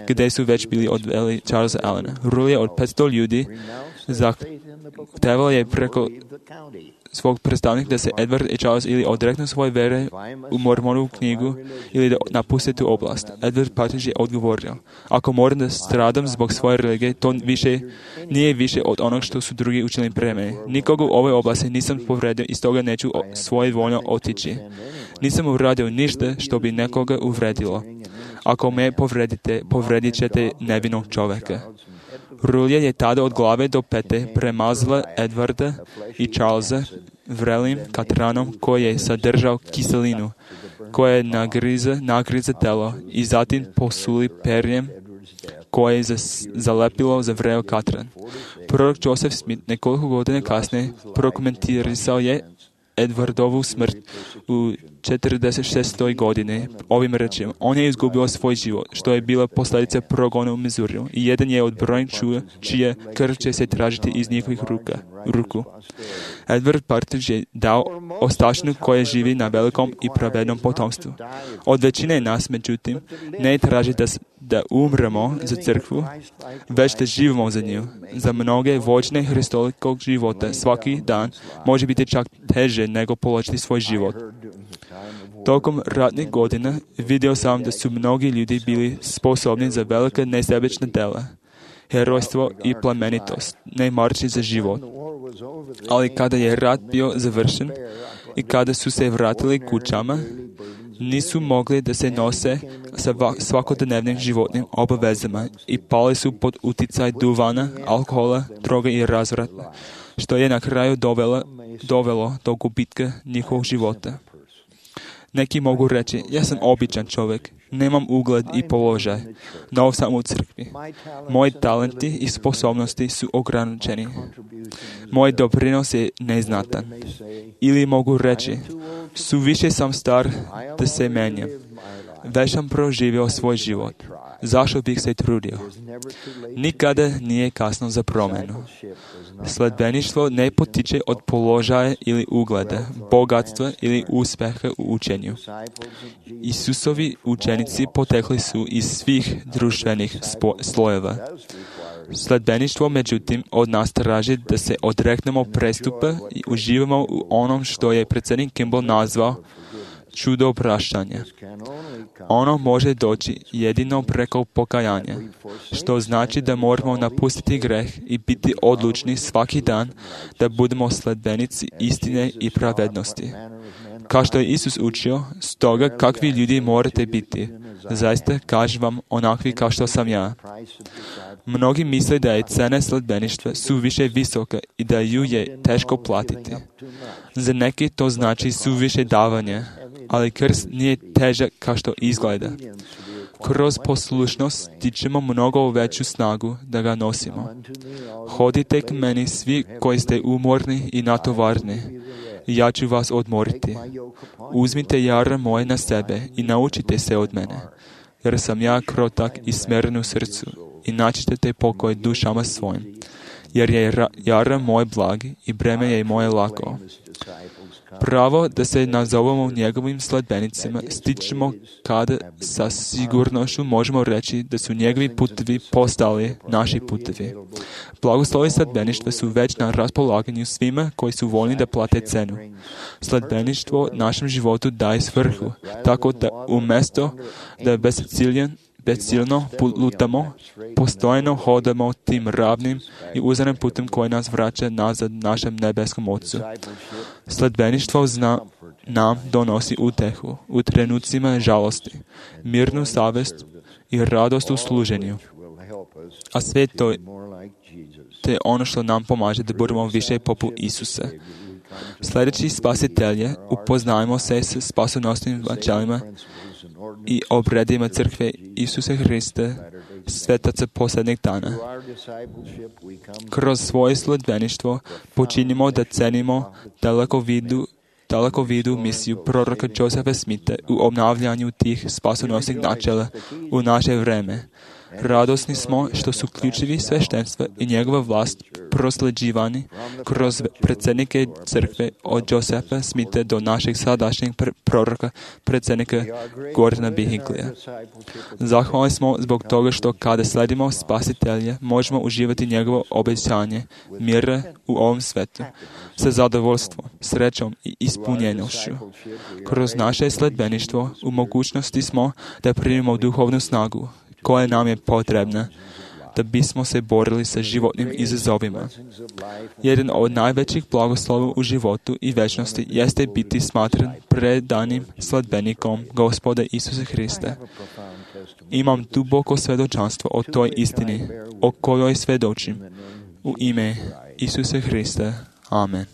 gdje su već bili odveli Charlesa Allena. Rulje od petsto ljudi zahtevalo je preko svog predstavnika da se Edward i Charles ili odreknu svoje vere u Mormonovu knjigu ili da napuste tu oblast. Edward Partridge je odgovorio: ako moram da stradam zbog svoje religije, to više, nije više od onog što su drugi učinili pre mene. Nikoga u ovoj oblasti nisam povredio i stoga neću svoje voljno otići. Nisam uradio ništa što bi nekoga uvredilo. Ako me povredite, povredit ćete nevinog čoveka. Rulje je tada od glave do pete premazala Edwarda i Charlesa vrelim katranom koji je sadržao kiselinu, koja je nagriza, nagriza telo i zatim posuli perjem koje je zalepilo za vreo katran. Prorok Joseph Smith nekoliko godina kasnije prokomentarisao je Edwardovu smrt u četrdeset šestoj godine ovim rečima: on je izgubio svoj život, što je bila posljedica progona u Missouriju, i jedan je od brojnih čuja čije krv će se tražiti iz njihovih ruka, ruku. Edward Partridge je dao ostačinu koja živi na velikom i pravednom potomstvu. Od većine nas, međutim, ne traži da, da umremo za crkvu, već da živimo za nju. Za mnoge vođne hristolikog života svaki dan može biti čak teže nego položiti svoj život. Tokom ratnih godina vidio sam da su mnogi ljudi bili sposobni za velika nesebična dela, herojstvo i plemenitost, ne marči za život. Ali kada je rat bio završen i kada su se vratili kućama, nisu mogli da se nose sa svakodnevnim životnim obavezama i pali su pod uticaj duvana, alkohola, droga i razvrata, što je na kraju dovelo, dovelo do gubitka njihovog života. Neki mogu reći: ja sam običan čovjek, nemam ugled i položaj, nov sam u crkvi. Moji talenti i sposobnosti su ograničeni. Moj doprinos je neznatan. Ili mogu reći: suviše sam star da se menjam. Već sam proživio svoj život. Zašto bih se trudio? Nikada nije kasno za promjenu. Sledbeništvo ne potiče od položaja ili ugleda, bogatstva ili uspjeha u učenju. Isusovi učenici potekli su iz svih društvenih spo- slojeva. Sledbeništvo, međutim, od nas traži da se odreknemo prestupa i uživamo u onom što je predsjednik Kimball nazvao čudo opraštanja. Ono može doći jedino preko pokajanja, što znači da moramo napustiti greh i biti odlučni svaki dan da budemo sledbenici istine i pravednosti. Kao što je Isus učio, stoga kakvi ljudi morate biti. Zaista kažem vam, onakvi kao što sam ja. Mnogi misle da je cena sledbeništva suviše visoka i da ju je teško platiti. Za neki to znači suviše davanja, ali krst nije težak kao što izgleda. Kroz poslušnost stičemo mnogo veću snagu da ga nosimo. Hodite k meni svi koji ste umorni i natovarni, i ja ću vas odmoriti. Uzmite jara moje na sebe i naučite se od mene, jer sam ja krotak i smeren u srcu, i naći ćete pokoj dušama svojim, jer je jara moj blag i breme je moje lako. Pravo da se nazovemo njegovim sledbenicima stičemo kada sa sigurnošću možemo reći da su njegovi putevi postali naši putevi. Blagoslovi sledbeništva su već na raspolaganju svima koji su voljni da plate cenu. Sledbeništvo našem životu daje svrhu, tako da umjesto da bezciljen Bezciljno lutamo, postojno hodamo tim ravnim i uzanim putem koji nas vraća nazad našem nebeskom Otcu. Sledbeništvo zna, nam donosi utehu u trenucima žalosti, mirnu savjest i radost u služenju. A sve to je ono što nam pomaže da budemo više poput Isusa. Sljedeći spasitelje, upoznajmo se s spasonosnim načelima i obredima crkve Isusa Hrista, svetaca posljednjeg dana. Kroz svoje sledbeništvo počinimo da cenimo daleko vidu, daleko vidu misiju proroka Josepha Smitha u obnavljanju tih spasonosnih načela u naše vreme. Radosni smo što su ključevi sveštenstva i njegova vlast prosleđivani kroz predsjednike crkve od Josefa Smitha do našeg sadašnjeg pr- proroka, predsjednika Gordona B. Hinklija. Zahvalni smo zbog toga što kada sledimo Spasitelja možemo uživati njegovo obećanje mira u ovom svetu sa zadovoljstvom, srećom i ispunjenošću. Kroz naše sledbeništvo u mogućnosti smo da primimo duhovnu snagu koja nam je potrebna da bismo se borili sa životnim izazovima. Jedan od najvećih blagoslova u životu i večnosti jeste biti smatran predanim sledbenikom Gospoda Isusa Hrista. Imam duboko svjedočanstvo o toj istini, o kojoj svjedočim. U ime Isusa Hrista. Amen.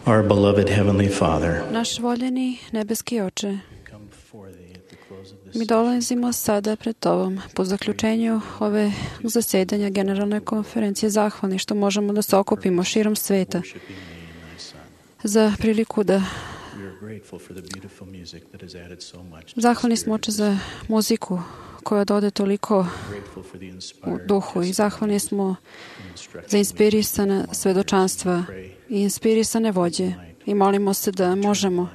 Our beloved Heavenly Father, Naš voljeni nebeski Oče, mi dolazimo sada pred Tobom po zaključenju ove zasedanja Generalne konferencije zahvalni što možemo da se okupimo širom sveta za priliku da zahvalni smo Oče za muziku koja dode toliko u duhu i zahvalni smo za inspirisana svedočanstva i inspirisane vođe i molimo se da možemo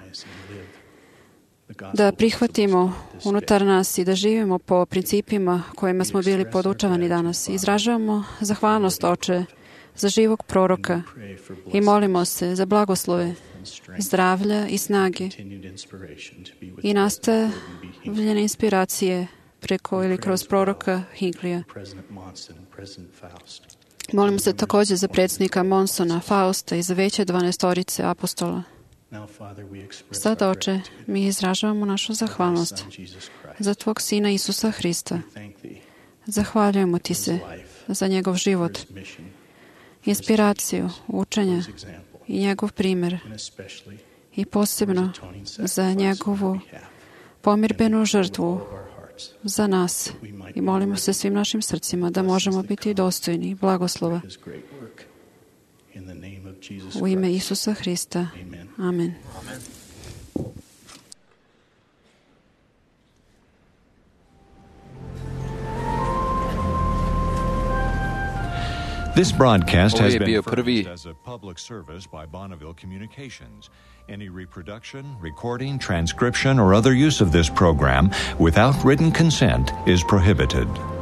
da prihvatimo unutar nas i da živimo po principima kojima smo bili podučavani danas. Izražavamo zahvalnost, Oče, za živog proroka i molimo se za blagoslove, zdravlja i snage i nastavljene inspiracije preko ili kroz proroka Hinklija. Molimo se također za predsjednika Monsona, Fausta i za veće dvanaestorice apostola. Sada, Oče, mi izražavamo našu zahvalnost za Tvog Sina Isusa Hrista. Zahvaljujemo Ti se za njegov život, inspiraciju, učenja i njegov primjer i posebno za njegovu pomirbenu žrtvu za nas i molimo se svim našim srcima da možemo biti dostojni blagoslova. U ime Isusa Hrista. Amen. This broadcast Ovo has je been bio prvi furnished as a public service by Bonneville Communications. Any reproduction, recording, transcription, or other use of this program without written consent is prohibited.